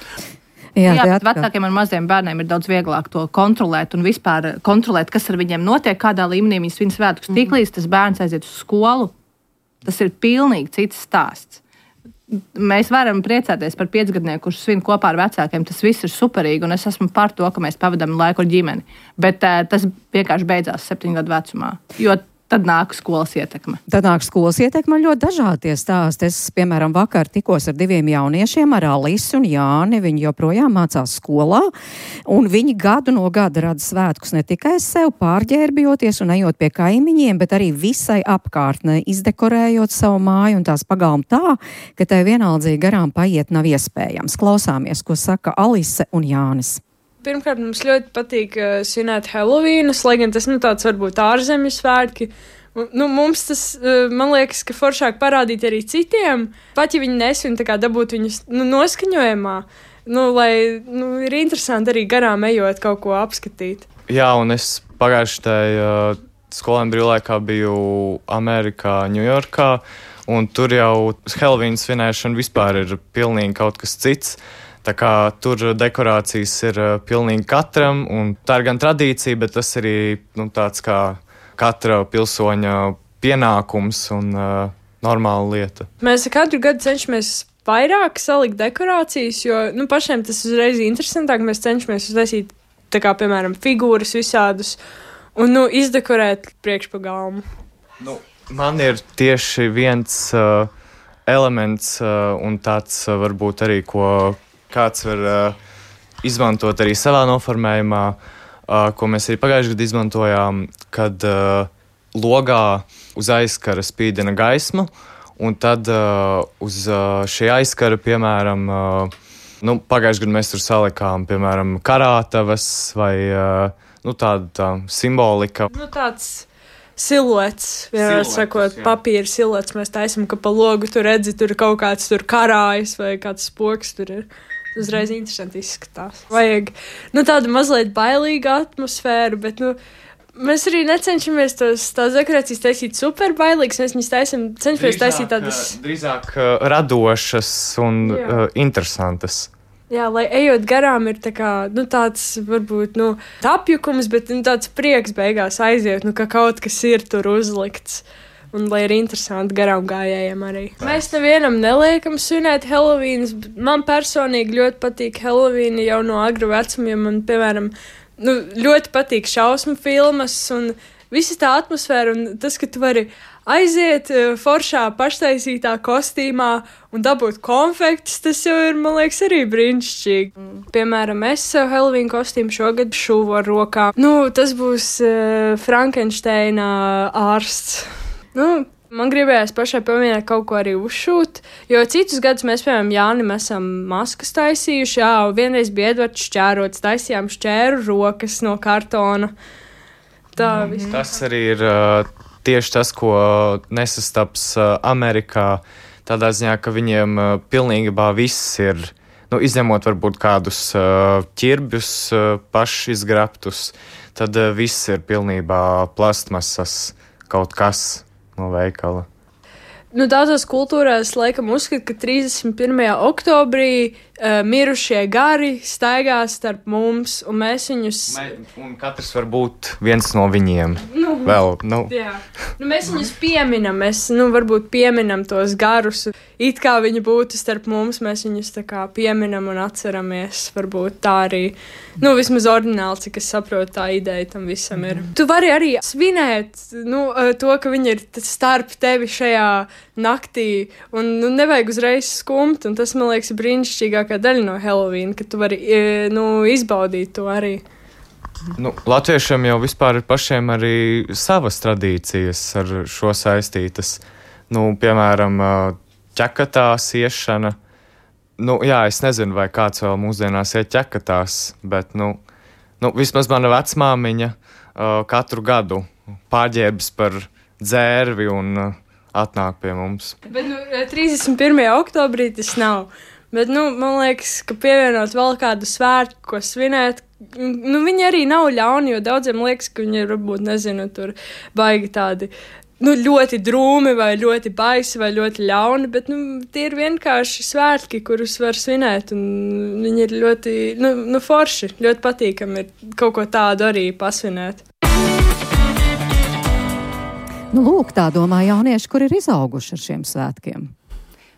Jā, Jā bet vecākiem ar maziem bērniem ir daudz vieglāk to kontrolēt un vispār kontrolēt, kas ar viņiem notiek, kādā līmenī viņi svin svētkus. Mm-hmm. Tiklīdz tas bērns aiziet uz skolu, tas ir pilnīgi cits stāsts. Mēs varam priecāties par piecgadnieku, kurš svin kopā ar vecākiem. Tas viss ir superīgi, un es esmu par to, ka mēs pavadām laiku ar ģimeni. Bet uh, tas vienkārši beidzās septiņu gadu vecumā. Jo tad nāk skolas ietekme. Tad nāk skolas ietekme ļoti dažādi stāsti. Es, piemēram, vakar tikos ar diviem jauniešiem, ar Alisu un Jāni. Viņi joprojām mācās skolā, un viņi gadu no gada rada svētkus ne tikai sev pārģērbjoties un ejot pie kaimiņiem, bet arī visai apkārtnē, izdekorējot savu māju un tās pagalmu tā, ka tai vienaldzīgi garām paiet nav iespējams. Klausāmies, ko saka Alise un Jānis. Pirmkārt, mums ļoti patīk uh, svinēt Helovīnus, lai gan tas, nu, tāds varbūt ārzemju svētki. Nu, mums tas, uh, man liekas, ka foršāk parādīt arī citiem, pat ja viņi nesvin, tā kā dabūt viņus, nu, noskaņojumā, nu, lai, nu, ir interesanti arī garām ejot kaut ko apskatīt. Jā, un es pagājuši tai uh, skolēnu brīvlaikā biju Amerikā, Ņujorkā, un tur jau Helovīnu svinēšana vispār ir pilnīgi kaut kas cits. Tā kā tur dekorācijas ir uh, pilnīgi katram, un tā ir gan tradīcija, bet tas arī, nu, tāds kā katra pilsoņa pienākums un uh, normāla lieta. Mēs katru gadu cenšamies vairāk salikt dekorācijas, jo nu, pašiem tas uzreiz ir interesantāk. Mēs cenšamies uztaisīt, tā kā, piemēram, figūras visādus un nu, izdekorēt priekšpagalmu. Nu, man ir tieši viens uh, elements uh, un tāds uh, varbūt arī, ko kāds var uh, izmantot arī savā noformējumā, uh, ko mēs arī pagājušajā gadā izmantojām, kad uh, logā uz aizkara spīdina gaisma, un tad uh, uz uh, šī aizkara, piemēram, uh, nu, pagājušajā gadā mēs tur salikām, piemēram, karātavas vai uh, nu, tāda tā simbolika. Nu, tāds siluets, vienmēr sakot, jā. Papīra siluets mēs taisam, ka pa logu tu redzi, tur kaut kāds tur karājas vai kāds spoks tur ir. Uzreiz interesanti izskatās. Vajag, nu, tādu mazliet bailīgu atmosfēru, bet, nu, mēs arī necenšamies tos, tās dekorācijas taisīt super bailīgas, mēs viņus taisam, cenšamies taisīt tādas... Drīzāk uh, radošas un uh, interesantas. Jā, lai ejot garām ir tā kā, nu, tāds, varbūt, nu, apjukums, bet, nu, tāds prieks beigās aiziet, nu, ka kaut kas ir tur uzlikts. Un lai ir interesanti garām gājējiem arī. Mēs nevienam neliekam svinēt Helovīnas. Man personīgi ļoti patīk Helovīna jau no agra vecuma, jo man, piemēram, nu, ļoti patīk šausmu filmas un visa tā atmosfēra un tas, ka tu vari aiziet foršā paštaisītā kostīmā un dabūt konfektus, tas jau ir, man liekas, arī brīnišķīgi. Mm. Piemēram, es sev Helovīna kostīmu šogad šuvu ar rokām. Nu, tas būs uh, Frankensteina ārsts. Nu, man gribējās pašai pamēģināt kaut ko arī uzšūt, jo citus gadus mēs, piemēram, Jānim esam maskas taisījuši, jā, vienreiz bija Edvards šķērots, taisījām šķēru rokas no kartona. Tā mm. viss. Tas arī ir uh, tieši tas, ko nesastaps uh, Amerikā, tādā ziņā, ka viņiem uh, pilnībā viss ir, nu, izņemot varbūt kādus uh, ķirbjus uh, pašizgrabtus, tad uh, viss ir pilnībā plastmasas kaut kas no veikala. Nu, daudzās kultūrās laikam uzskata, ka trīsdesmit pirmajā oktobrī uh, mirušie gari staigās starp mums, un mēs viņus... Mē, un katrs var būt viens no viņiem. Nu, Vēl, nu. Jā. Nu, mēs viņus pieminam, mēs, nu, varbūt pieminam tos garus. It kā viņi būtu starp mums, mēs viņus tā kā pieminam un atceramies. Varbūt tā arī, nu, vismaz ordināli, cik es saprotu, tā ideja tam visam ir. Mm. Tu vari arī svinēt, nu, to, ka viņi ir starp tevi šajā naktī, un nu, nevajag uzreiz skumt, un tas, man liekas, ir brīnišķīgākā daļa no Helovīna, ka tu vari, nu, izbaudīt to arī. Nu, latviešiem jau vispār ir pašiem arī savas tradīcijas ar šo saistītas. Nu, piemēram, ķekatās iešana. Nu, jā, es nezinu, vai kāds vēl mūsdienās iet ķekatās, bet, nu, nu vismaz mana vecmāmiņa uh, katru gadu pārģērbs par dzērvi un uh, atnāk pie mums. Bet, nu, trīsdesmit pirmajā oktobrī tas nav. Bet, nu, man liekas, ka pievienot vēl kādu svētku, ko svinēt, nu, viņi arī nav ļauni, jo daudziem liekas, ka viņi ir, varbūt, nezinu, tur baigi tādi, nu, ļoti drūmi vai ļoti baisi vai ļoti ļauni, bet, nu, tie ir vienkārši svētki, kurus var svinēt, un viņi ir ļoti, nu, nu forši, ļoti patīkami ir kaut ko tādu arī pasvinēt. Nu, lūk, tā domā jaunieši, kur ir izauguši ar šiem svētkiem.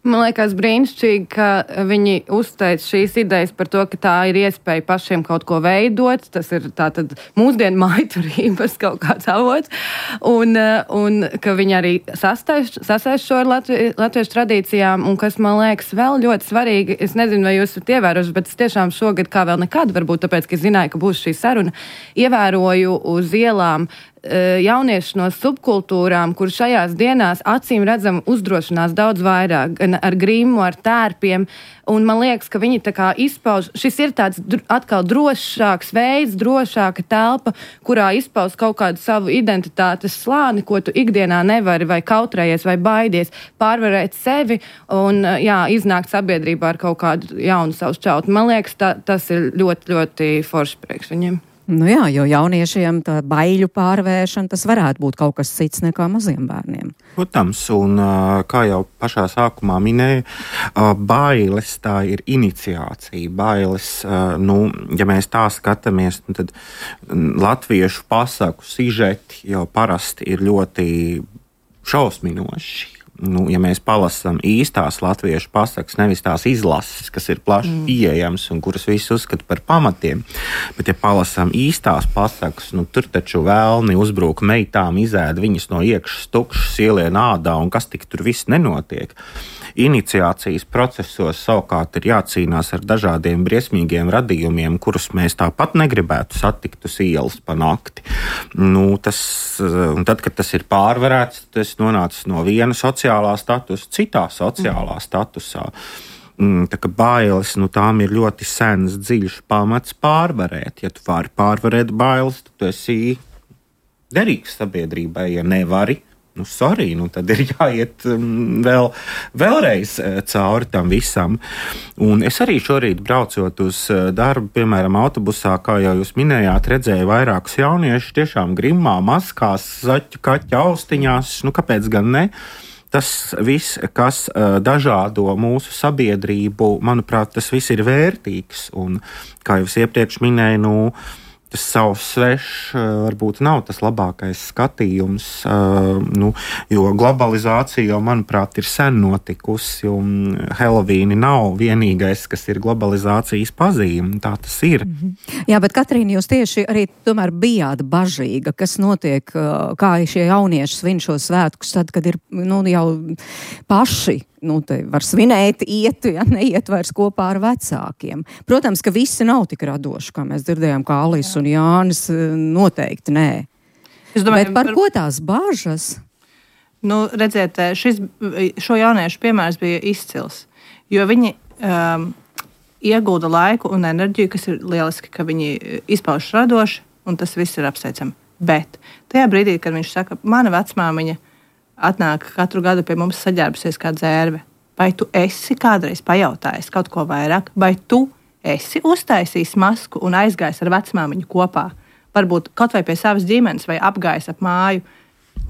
Man liekas brīnišķīgi, ka viņi uzteic šīs idejas par to, ka tā ir iespēja pašiem kaut ko veidot. Tas ir tātad mūsdienu mājturības kaut kāds avots. Un, un ka viņi arī sasaist šo ar Latvi, latviešu tradīcijām. Un kas man liekas vēl ļoti svarīgi, es nezinu, vai jūs esat ievērojuši, bet es tiešām šogad kā vēl nekad, varbūt tāpēc, ka es zināju, ka būs šī saruna, ievēroju uz ielām jaunieši no subkultūrām, kur šajās dienās acīm redzam uzdrošinās daudz vairāk, gan ar grimu, ar tērpiem, un man liekas, ka viņi tā kā izpauž, šis ir tāds atkal drošāks veids, drošāka telpa, kurā izpauž kaut kādu savu identitātes slāni, ko tu ikdienā nevari vai kautrējies vai baidies, pārvarēt sevi un, jā, iznākt sabiedrībā ar kaut kādu jaunu savu šķautni. Man liekas, tā, tas ir ļoti, ļoti forši priekš viņiem. Nu jā, jo jauniešiem tā baiļu pārvēršana, tas varētu būt kaut kas cits nekā maziem bērniem. Protams, un kā jau pašā sākumā minēju, bailes tā ir iniciācija. Bailes, nu, ja mēs tā skatāmies, tad latviešu pasaku sižeti jau parasti ir ļoti šausminoši. Nu, ja mēs palasām īstās latviešu pasakas, nevis tās izlases, kas ir plaši mm. pieejamas un kuras visi uzskata par pamatiem, bet ja palasām īstās pasakas, nu, tur taču vēlni uzbrūk meitām, izēd viņas no iekšas tukšas, ielien ādā un kas tik tur viss nenotiek. Iniciācijas procesos savukārt ir jācīnās ar dažādiem briesmīgiem radījumiem, kurus mēs tāpat negribētu satikt uz ielas pa nakti. Nu, tas, un tad, kad tas ir pārvarēts, tas nonācis no viena sociālā statusa citā sociālā statusā. Tā kā bailes, nu, tām ir ļoti sens, dziļš pamats pārvarēt. Ja tu vari pārvarēt bailes, tad tu esi derīgs sabiedrībai. Ja nevari, nu, sorry, nu, tad ir jāiet um, vēl, vēlreiz uh, cauri tam visam. Un es arī šorīt braucot uz uh, darbu, piemēram, autobusā, kā jau jūs minējāt, redzēju vairākus jauniešus tiešām grimmā, maskās, zaķu, kaķa austiņās, nu, kāpēc gan ne? Tas viss, kas uh, dažādo mūsu sabiedrību, manuprāt, tas viss ir vērtīgs. Un, kā jau es iepriekš minēju, nu, tas savs svešs varbūt nav tas labākais skatījums, uh, nu, jo globalizācija jau, manuprāt, ir sen notikusi, un Helovīni nav vienīgais, kas ir globalizācijas pazīme. Tā tas ir. Mm-hmm. Jā, bet Katrīna, jūs tieši arī tomēr bijāt bažīga, kas notiek, kā šie jaunieši svin šo svētkus, tad, kad ir, nu, jau paši nu, te var svinēt, iet, ja neiet vairs kopā ar vecākiem. Protams, ka visi nav tik radoši, kā mēs dzirdējām, kā Alis un Jānis, noteikti nē. Es domāju, bet par ko tās bāžas? Nu, redziet, šis, šo jauniešu piemērs bija izcils, jo viņi um, iegulda laiku un enerģiju, kas ir lieliski, ka viņi izpauž radoši, un tas viss ir apsveicami. Bet tajā brīdī, kad viņš saka, mana vecmāmiņa atnāk katru gadu pie mums saģērbusies kā dzērve. Vai tu esi kādreiz pajautājis kaut ko vairāk? Vai tu esi uztaisījis masku un aizgājis ar vecmāmiņu kopā? Varbūt kaut vai pie savas ģimenes vai apgājis ap māju.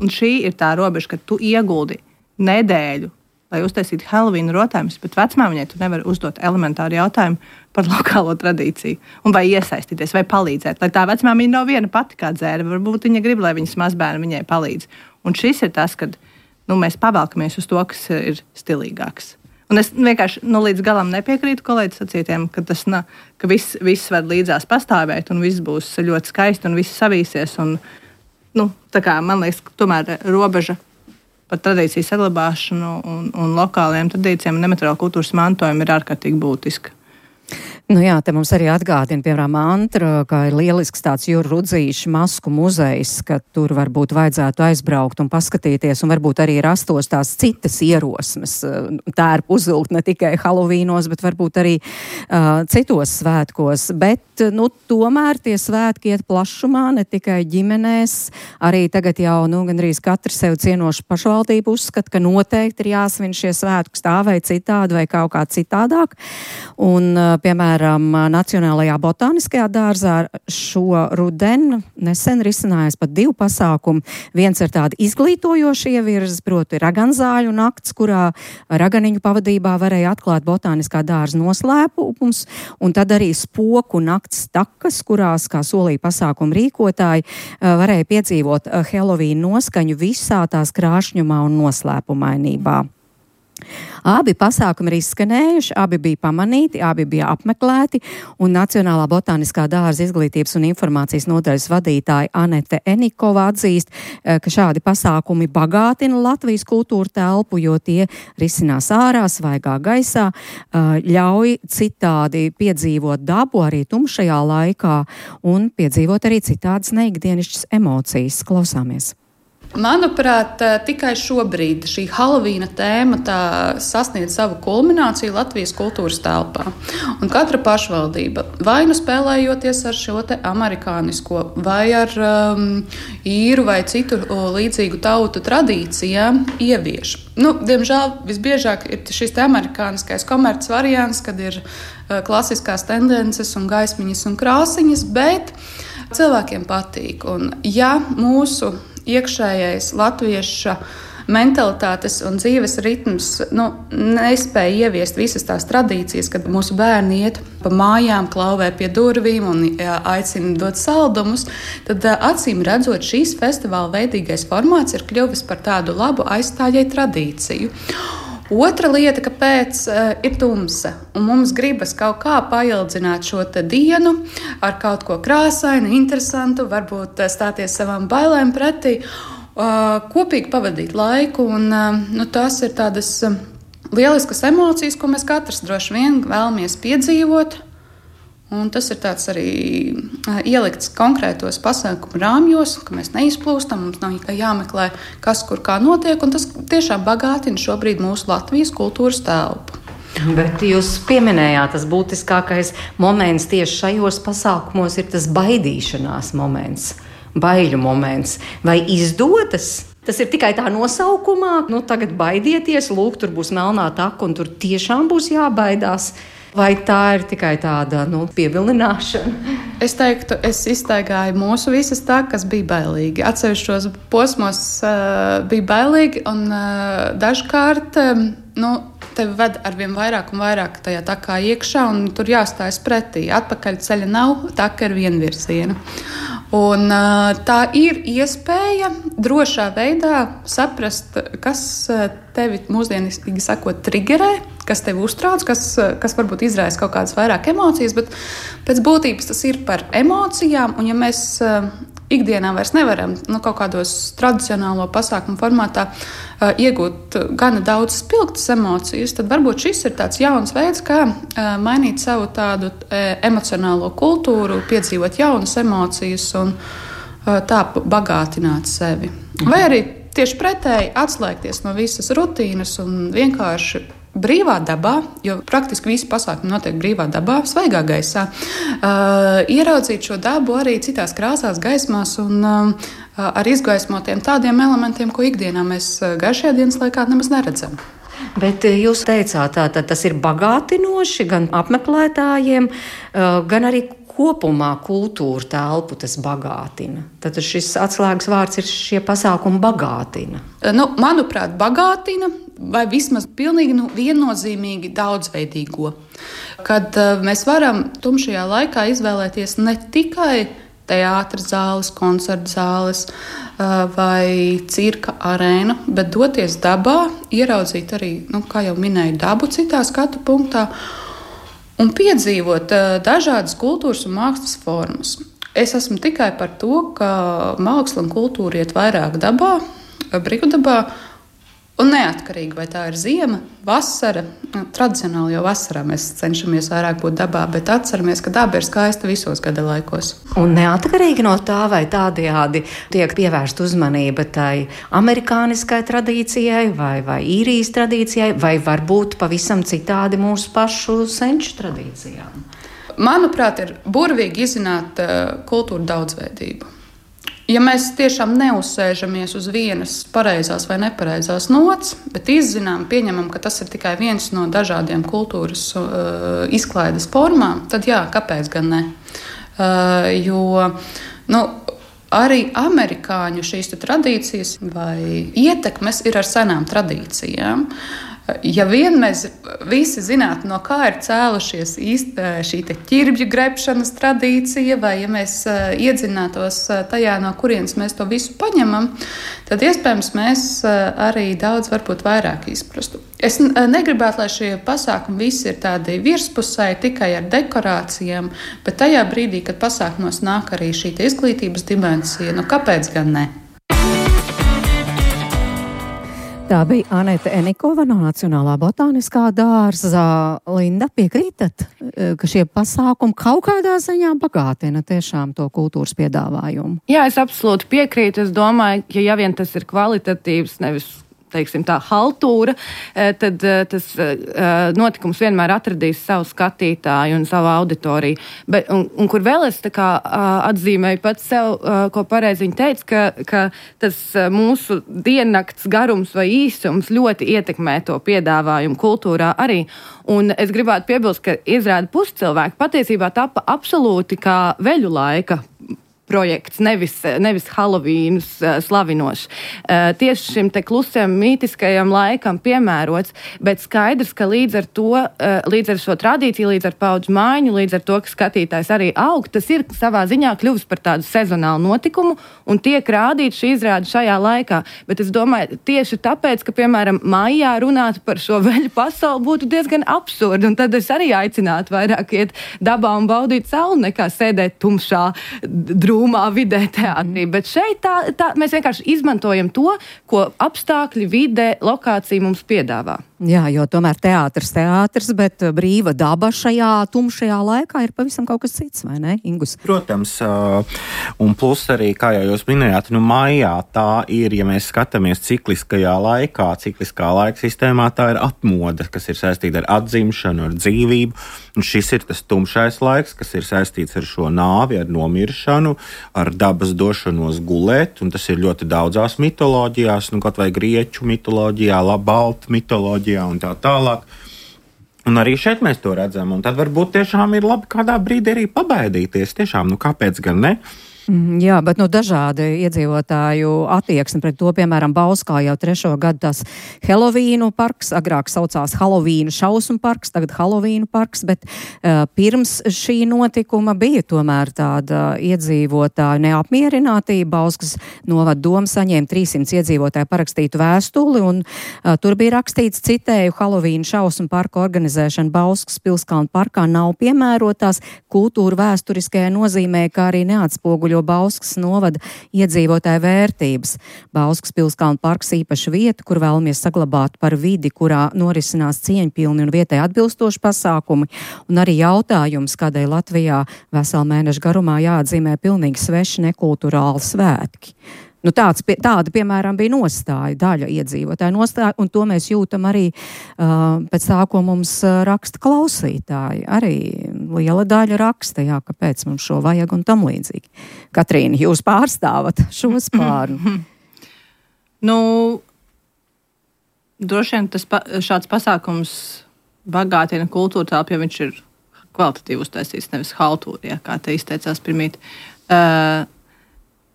Un šī ir tā robeža, ka tu ieguldi nedēļu, lai uztaisītu Helovīna rotājumus, bet vecmāmiņai tu nevari uzdot elementāru jautājumu par lokālo tradīciju. Un vai iesaistīties, vai palīdzēt. Lai tā vecmāmiņa nav viena pati kā dzērve. Varbūt viņa grib, lai viņas mazbērni viņai palīdz. Un šis ir tas, kad nu, mēs pavelkamies uz to, kas ir stilīgāks. Un es vienkārši nu, līdz galam nepiekrītu kolēģis sacītiem, ka, tas, na, ka viss, viss var līdzās pastāvēt un viss būs ļoti skaisti un viss savīsies. Un, nu, tā kā, man liekas, ka tomēr robeža par tradīciju saglabāšanu un, un lokāliem tradīcijiem un nemateriālu kultūras mantojumu ir ārkārtīgi būtiska. Nu jā, te mums arī atgādina, piemēram, Antra, kā ir lielisks tāds Jura Rudzīša masku muzejs, ka tur varbūt vajadzētu aizbraukt un paskatīties, un varbūt arī rastos tās citas ierosmes. Tērpu uzvilkt ne tikai Halovīnos, bet varbūt arī uh, citos svētkos. Bet, nu, tomēr tie svētki iet plašumā, ne tikai ģimenēs. Arī tagad jau, nu, gandrīz katra sev cienoša pašvaldība uzskata, ka noteikti ir jāsvin šie svētki tā vai citādi vai kaut kā citādāk. Un, uh, piemēram, Nacionālajā botāniskajā dārzā šo rudenu nesen risinājās pat divu pasākumu. Viens ir tāda izglītojoša ievirze, proti raganzāļu nakts, kurā raganiņu pavadībā varēja atklāt botāniskā dārza noslēpums, un tad arī spoku nakts takas, kurās, kā solīja pasākumu rīkotāji, varēja piedzīvot Helovīna noskaņu visā tās krāšņumā un noslēpumainībā. Abi pasākumi ir izskanējuši, abi bija pamanīti, abi bija apmeklēti, un Nacionālā botāniskā dārza izglītības un informācijas nodaļas vadītāja Anete Enikova atzīst, ka šādi pasākumi bagātina Latvijas kultūra telpu, jo tie risinās ārā, svaigā gaisā, ļauj citādi piedzīvot dabu arī tumšajā laikā un piedzīvot arī citādas neikdienišķas emocijas. Klausāmies! Manuprāt, tikai šobrīd šī Halovīna tēma sasniedz savu kulmināciju Latvijas kultūras telpā. Un katra pašvaldība, vai nu spēlējoties ar šo te amerikānisko, vai ar um, īru vai citu līdzīgu tautu tradīcijām, ievieš. Nu, diemžēl visbiežāk ir šis te amerikāniskais komerces variants, kad ir uh, klasiskās tendences un gaismiņas un krāsiņas, bet cilvēkiem patīk. Un, ja mūsu iekšējais latvieša mentalitātes un dzīves ritms nu, nespēja ieviest visas tās tradīcijas, kad mūsu bērni iet pa mājām, klauvē pie durvīm un jā, aicina dot saldumus, tad acīm redzot, šīs festivāla veidīgais formāts ir kļuvis par tādu labu aizstājēju tradīciju. Otra lieta, kāpēc uh, ir tumsa, un mums gribas kaut kā paildzināt šo dienu ar kaut ko krāsainu, interesantu, varbūt stāties savām bailēm pretī, uh, kopīgi pavadīt laiku, un uh, nu, tās ir tādas uh, lieliskas emocijas, ko mēs katrs droši vien vēlamies piedzīvot. Un tas ir tāds arī uh, ielikts konkrētos pasākumu rāmjos, ka mēs neizplūstam, mums nav jāmeklē, kas kur kā notiek, un tas tiešām bagātina šobrīd mūsu Latvijas kultūras telpu. Bet jūs pieminējāt, tas būtiskākais moments tieši šajos pasākumos ir tas baidīšanās moments, baiļu moments. Vai izdodas? Tas ir tikai tā nosaukumā, nu tagad baidieties, lūk, tur būs melnā taka, un tur tiešām būs jābaidās. Vai tā ir tikai tāda nu, pievilināšana? Es teiktu, es iztaigāju mūsu visas takas, bija bailīgi. Atsevišķos posmos uh, bija bailīgi, un uh, dažkārt um, nu, tevi ved arvien vairāk un vairāk tajā takā iekšā, un tur jāstājas pretī. Atpakaļ ceļa nav, taka ir vienvirziena. Un, uh, tā ir iespēja drošā veidā saprast, kas tevi mūsdienīgi sakot triggerē, kas tevi uztrauc, kas, kas varbūt izraisa kaut kādas vairāk emocijas, bet pēc būtības tas ir par emocijām, un ja mēs uh, ikdienā vairs nevaram nu, kaut kādos tradicionālo pasākumu formātā uh, iegūt gana daudz spilgtas emocijas, tad varbūt šis ir tāds jauns veids, kā uh, mainīt savu tādu uh, emocionālo kultūru, piedzīvot jaunas emocijas un uh, tā bagātināt sevi. Vai arī tieši pretēji atslēgties no visas rutīnas un vienkārši brīvā dabā, jo praktiski visi pasākumi notiek brīvā dabā, svaigā gaisā, uh, ieraudzīt šo dabu arī citās krāsās, gaismās un uh, ar izgaismotiem tādiem elementiem, ko ikdienā mēs gaišajā dienas laikā nemaz neredzam. Bet jūs teicāt, tā, tas ir bagātinoši gan apmeklētājiem, uh, gan arī kopumā kultūra telpu tas bagātina. Tad šis atslēgas vārds ir šie pasākumi bagātina. Nu, manuprāt, bagātina vai vismaz pilnīgi nu, viennozīmīgi daudzveidīgo. Kad uh, mēs varam tumšajā laikā izvēlēties ne tikai teātras zāles, koncerta zāles uh, vai cirka arēnu, bet doties dabā, ieraudzīt arī, nu, kā jau minēju, dabu citā skatu punktā, un piedzīvot uh, dažādas kultūras un mākslas formas. Es esmu tikai par to, ka māksla un kultūra iet vairāk dabā, brīvdabā, un neatkarīgi, vai tā ir ziema, vasara. Tradicionāli jau vasarā mēs cenšamies vairāk būt dabā, bet atceramies, ka daba ir skaista visos gada laikos. Un neatkarīgi no tā, vai tādējādi tiek pievērsta uzmanība tai amerikāniskai tradīcijai vai, vai īrijas tradīcijai, vai varbūt pavisam citādi mūsu pašu senču tradīcijām. Manuprāt, ir burvīgi izzināt uh, kultūru daudzveidību. Ja mēs tiešām neuzsēžamies uz vienas pareizās vai nepareizās nots, bet izzinām, pieņemam, ka tas ir tikai viens no dažādiem kultūras uh, izklaides formām, tad jā, kāpēc gan ne? Uh, jo, nu, arī amerikāņu šīs tradīcijas vai ietekmes ir ar senām tradīcijām. Ja vien mēs visi zinātu, no kā ir cēlušies īsti šī ķirbju grebšanas tradīcija, vai ja mēs iedzinātos tajā, no kurienes mēs to visu paņemam, tad iespējams mēs arī daudz varbūt vairāk izprastu. Es negribētu, lai šie pasākumi visi ir tādi virspusēji tikai ar dekorācijām, bet tajā brīdī, kad pasākumos nāk arī šī izglītības dimensija, nu kāpēc gan ne? Tā bija Anete Enikova no Nacionālā botāniskā dārza. Linda, piekrītat, ka šie pasākumi kaut kādā ziņā bagātina tiešām to kultūras piedāvājumu? Jā, es absolūti piekrītu. Es domāju, ka ja vien tas ir kvalitatīvs, nevis teiksim, tā haltūra, tad tas notikums vienmēr atradīs savu skatītāju un savu auditoriju. Bet, un, un kur vēl es tā kā atzīmēju pats sev, ko pareizi viņa teica, ka, ka tas mūsu diennakts garums vai īsums ļoti ietekmē to piedāvājumu kultūrā arī. Un es gribētu piebilst, ka izrāda puscilvēki patiesībā tapa absolūti kā veļu laika projekts, nevis, nevis Halovīnus uh, slavinošs. Uh, tieši šim te klusiem mītiskajam laikam piemērots, bet skaidrs, ka līdz ar to, uh, līdz ar šo tradīciju, līdz ar paudžu maiņu, līdz ar to, ka skatītājs arī aug, tas ir savā ziņā kļuvis par tādu sezonālu notikumu un tiek rādīts šī izrāde šajā laikā. Bet es domāju, tieši tāpēc, ka, piemēram, maijā runāt par šo veļu pasauli būtu diezgan absurdi, un tad es arī aicinātu vairāk iet dabā un baudīt sauli, nekā sēdēt tumšā, drūmā vidē teātrī. Bet šeit tā, tā, mēs vienkārši izmantojam to, ko apstākļi, vide, lokācija mums piedāvā. Jā, jo tomēr teātris teātris, bet brīva daba šajā tumšajā laikā ir pavisam kaut kas cits, vai ne, Ingus? Protams, un plus arī, kā jau jūs minējāt, nu maijā tā ir, ja mēs skatāmies cikliskajā laikā, cikliskā laika sistēmā, tā ir atmoda, kas ir saistīta ar atzimšanu, ar dzīvību, un šis ir tas tumšais laiks, kas ir saistīts ar šo nāvi, ar nomiršanu, ar dabas došanos gulēt, un tas ir ļoti daudzās mitoloģijās, nu kaut vai grieķu mitoloģijā, baltu mitoloģijā, un tā tālāk. Un arī šeit mēs to redzam, un tad varbūt tiešām ir labi kādā brīdī arī pabaidīties. Tiešām, nu kāpēc gan ne? Mm, jā, bet nu dažādi iedzīvotāju attieksmi pret to, piemēram, Bauskā jau trešo gadu tas Helovīnu parks, agrāk saucās Halovīnu šausmu parks, tagad Halovīnu parks, bet uh, pirms šī notikuma bija tomēr tāda iedzīvotāju neapmierinātība. Bauskas novada doma saņēma trīssimts iedzīvotāju parakstītu vēstuli, un uh, tur bija rakstīts, citēju, Halovīnu šausmu parku organizēšana Bauskas Pilskalnu parkā nav piemērotās kultūra vēsturiskajā nozīmē, kā arī neatspoguļo Bauskas novada iedzīvotāju vērtības. Bauskas Pilskalnu parks īpaša vieta, kur vēlamies saglabāt par vidi, kurā norisinās cieņpilni un vietai atbilstoši pasākumi, un arī jautājums, kādēļ Latvijā veselu mēnešu garumā jāatzīmē pilnīgi sveši nekulturāli svētki. Nu, tāds, tāda, piemēram, bija nostāja, daļa iedzīvotāja nostāja, un to mēs jūtam arī uh, pēc tā, ko mums uh, raksta klausītāji. Arī liela daļa raksta, jā, kāpēc mums šo vajag un tam līdzīgi. Katrīna, jūs pārstāvat šo spārnu? Nu, droši vien tas pa, šāds pasākums bagātina kultūru telpu, ja viņš ir kvalitatīvi uztaisīts, nevis haltūri, ja, kā te izteicās pirmīt. Uh,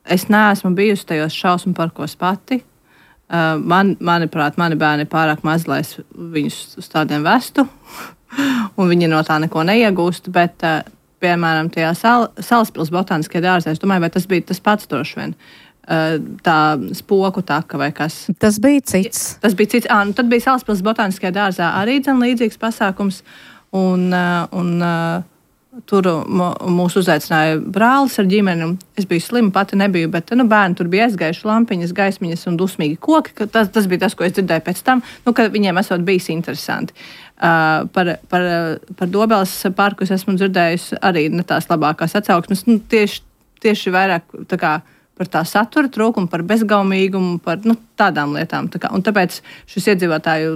Es neesmu bijusi tajos šausmu parkos pati. Uh, man, manuprāt, mani bērni ir pārāk maz, lai es viņus uz tādiem vestu, un viņi no tā neko neiegūst. Bet, uh, piemēram, tajā sal, Salaspils botāniskajā dārzā, es domāju, vai tas bija tas pats droši vien. Uh, tā spoku taka vai kas. Tas bija cits. Tas bija cits. À, nu, tad bija Salaspils botāniskajā dārzā arī dzen līdzīgs pasākums. Un, uh, un uh, tur mūs uzaicināja brālis ar ģimeni. Es biju slima, pati nebiju, bet nu, bērni tur bija aizgājuši lampiņas, gaismiņas un dusmīgi koki. Tas, tas bija tas, ko es dzirdēju pēc tam, nu, ka viņiem esot bijis interesanti. Uh, par, par, par Dobeles parku es esmu dzirdējusi arī ne tās labākās atsauksmes. Nu, tieši, tieši vairāk tā kā par tā satura trūkumu, par bezgaumīgumu, par nu, tādām lietām. Tā kā, un tāpēc šis iedzīvotāju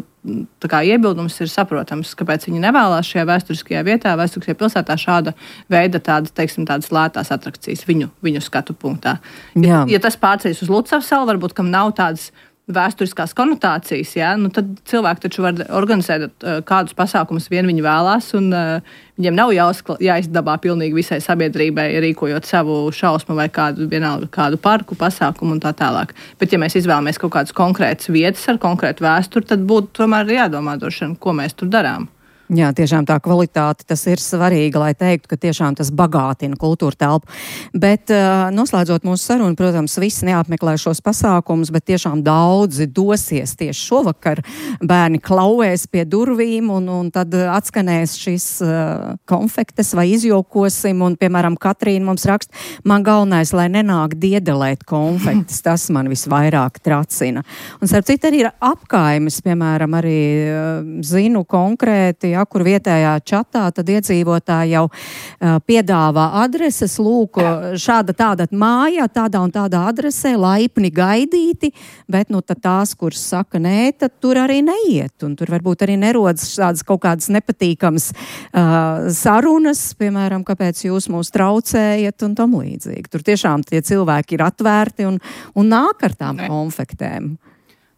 tā kā, iebildums ir saprotams, kāpēc viņi nevēlās šajā vēsturiskajā vietā, vēsturiskajā pilsētā šāda veida tādas, teiksim, tādas lētās atrakcijas viņu, viņu skatu punktā. Ja, ja tas pārceļas uz Lucavas salu, varbūt, kam nav tādas vēsturiskās konotācijas, ja, nu tad cilvēki taču var organizēt uh, kādus pasākumus vien viņi vēlās, un uh, viņiem nav jāuzkla, jāizdabā pilnīgi visai sabiedrībai, rīkojot savu šausmu vai kādu, vienalga, kādu parku pasākumu un tā tālāk. Bet ja mēs izvēlamies kaut kādas konkrētas vietas ar konkrētu vēsturi, tad būtu tomēr jādomā droši vien, ko mēs tur darām. Jā, tiešām tā kvalitāte, tas ir svarīgi, lai teiktu, ka tiešām tas bagātina kultūra telpu. Bet uh, noslēdzot mūsu sarunu, protams, visi neapmeklē šos pasākumus, bet tiešām daudzi dosies tieši šovakar. Bērni klauvēs pie durvīm un, un tad atskanēs šis uh, konfektes vai izjokosim. Un, piemēram, Katrīna mums raksta, man galvenais, lai nenāk diedelēt konfektes, tas man visvairāk tracina. Un starp citu arī ir apkaimes, piemēram, arī uh, zinu konkrēti, ja, kur vietējā čatā, tad iedzīvotāji jau uh, piedāvā adreses, lūk, šāda tāda māja, tādā un tādā adresē, laipni gaidīti, bet nu tad tās, kuras saka nē, tad tur arī neiet, un tur varbūt arī nerodas tādas kaut kādas nepatīkamas uh, sarunas, piemēram, kāpēc jūs mūs traucējat un tam līdzīgi. Tur tiešām tie cilvēki ir atvērti un, un nāk ar tām konfektēm.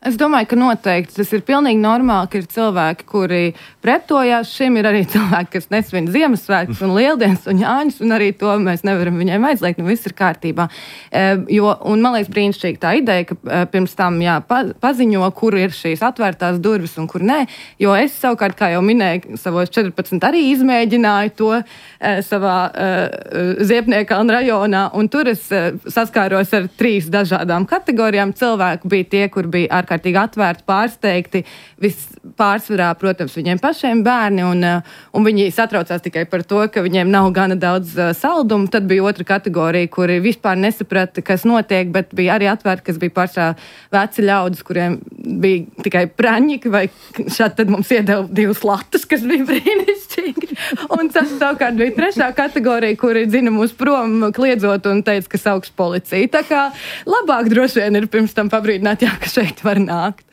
Es domāju, ka noteikti tas ir pilnīgi normāli, ka ir cilvēki, kuri pretojās šim, ir arī cilvēki, kas nesvin Ziemassvētkus un Lieldienas un Jāņus, un arī to mēs nevaram viņiem aizliegt, nu viss ir kārtībā. E, jo, un man liekas brīnišķīgi tā ideja, ka e, pirms tam jā, pa, paziņo, kur ir šīs atvērtās durvis un kur nē, jo es savukārt, kā jau minēju, savos četrpadsmit arī izmēģināju to e, savā e, Ziepniekalna rajonā, un tur es e, saskāros ar trīs dažādām kategorijām. Cilvēku bija tie, kur bija ar ārkārtīgi atvērti, pārsteigti, vispārsvarā, protams, viņiem pašiem bērni, un, un viņi satraucās tikai par to, ka viņiem nav gana daudz uh, saldumu. Tad bija otra kategorija, kuri vispār nesaprata, kas notiek, bet bija arī atvērti, kas bija pašā veci ļaudis, kuriem bija tikai praņķi, vai šādi tad mums iedeva divus latus, kas bija brīnišķīgi. Un tas savukārt bija trešā kategorija, kuri dzina mūs prom, kliedzot un teica, ka sauks policiju. Tā kā labāk droši vien ir pirms tam pabrīdināt, jā, ka šeit var nākt.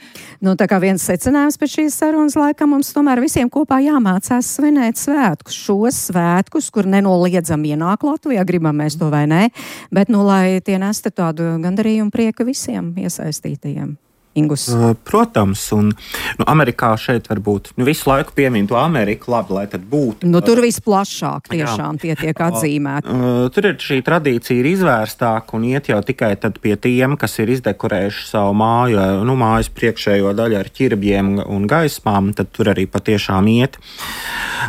Nu, tā kā viens secinājums pēc šīs sarunas laikam mums tomēr visiem kopā jāmācās svinēt svētkus. Šos svētkus, kur nenoliedzam ienāk Latvijā, gribam mēs to vai nē, bet nu, lai tie nesta tādu gandarījumu prieku visiem iesaistītajiem. Ingus. Protams, un nu, Amerikā šeit varbūt nu, visu laiku piemīn to Ameriku, labi, lai tad būtu. Nu, tur visplašāk tiešām jā. Tie tiek atzīmēti. Tur ir šī tradīcija ir izvērstāka un iet jau tikai tad pie tiem, kas ir izdekorējuši savu māju, nu, mājas priekšējo daļu ar ķirbjiem un gaismām, tad tur arī patiešām iet.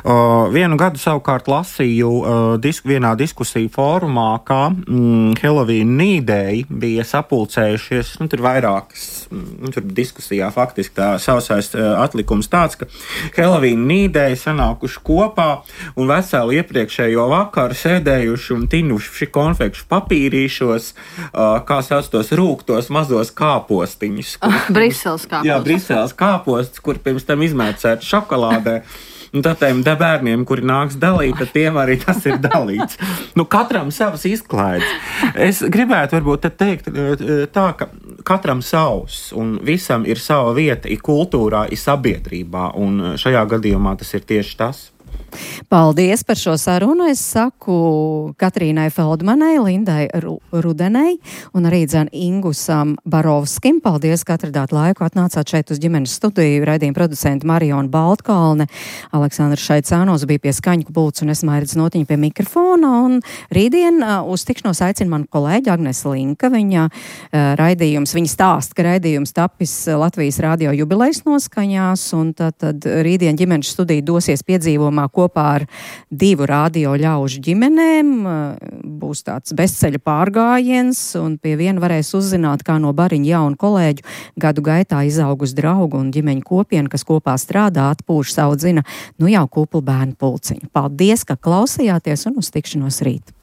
Uh, vienu gadu savukārt lasīju uh, disk, vienā diskusiju fórumā, kā mm, Halloween nīdēji bija sapulcējušies, nu, tur vairākas, mm, tur diskusijā faktiski tā sausais uh, atlikums tāds, ka Halloween nīdēji sanākuši kopā un veselu iepriekšējo vakaru sēdējuši un tinuši konfekšu papīrīšos, uh, kā sauc tos rūktos mazos kāpostiņus. Kur, Briseles kāposts. Jā, Briseles kāposts, kur pirms tam izmērcēti šokolādē. Un tad tiem bērniem, kuri nāks dalīt, tad tiem arī tas ir dalīts. Nu, katram savas izklaides. Es gribētu varbūt teikt tā, ka katram savs un visam ir sava vieta i kultūrā, i sabiedrībā, un šajā gadījumā tas ir tieši tas. Paldies par šo sarunu. Es saku Katrīnai Feldmanai, Lindai Rudenei un arī dzen Ingusam Barovskim. Paldies, ka atradāt laiku, atnācāt šeit uz ģimenes studiju. Raidījuma producenti Mariona Baltkalne, Aleksandrs Šaicānos bija pie skaņu pults un es Mairits Notiņa pie mikrofona. Un rītdien uz tikšanos aicina manu kolēģi Agnese Linka. Viņa raidījums, viņa stāsta, ka raidījums tapis Latvijas radio jubilejas noskaņās, un tad, tad rītdien ģimenes studija dosies piedzīvomā kopā ar divu radio ļaužu ģimenēm. Būs tāds bezceļa pārgājiens, un pie viena varēs uzzināt, kā no bariņa jaunu kolēģu gadu gaitā izaugus draugu un ģimeņu kopienu, kas kopā strādā, atpūš savu dzina, nu jau kuplu bērnu pulciņu. Paldies, ka klausījāties, un uz tikšanos rīt!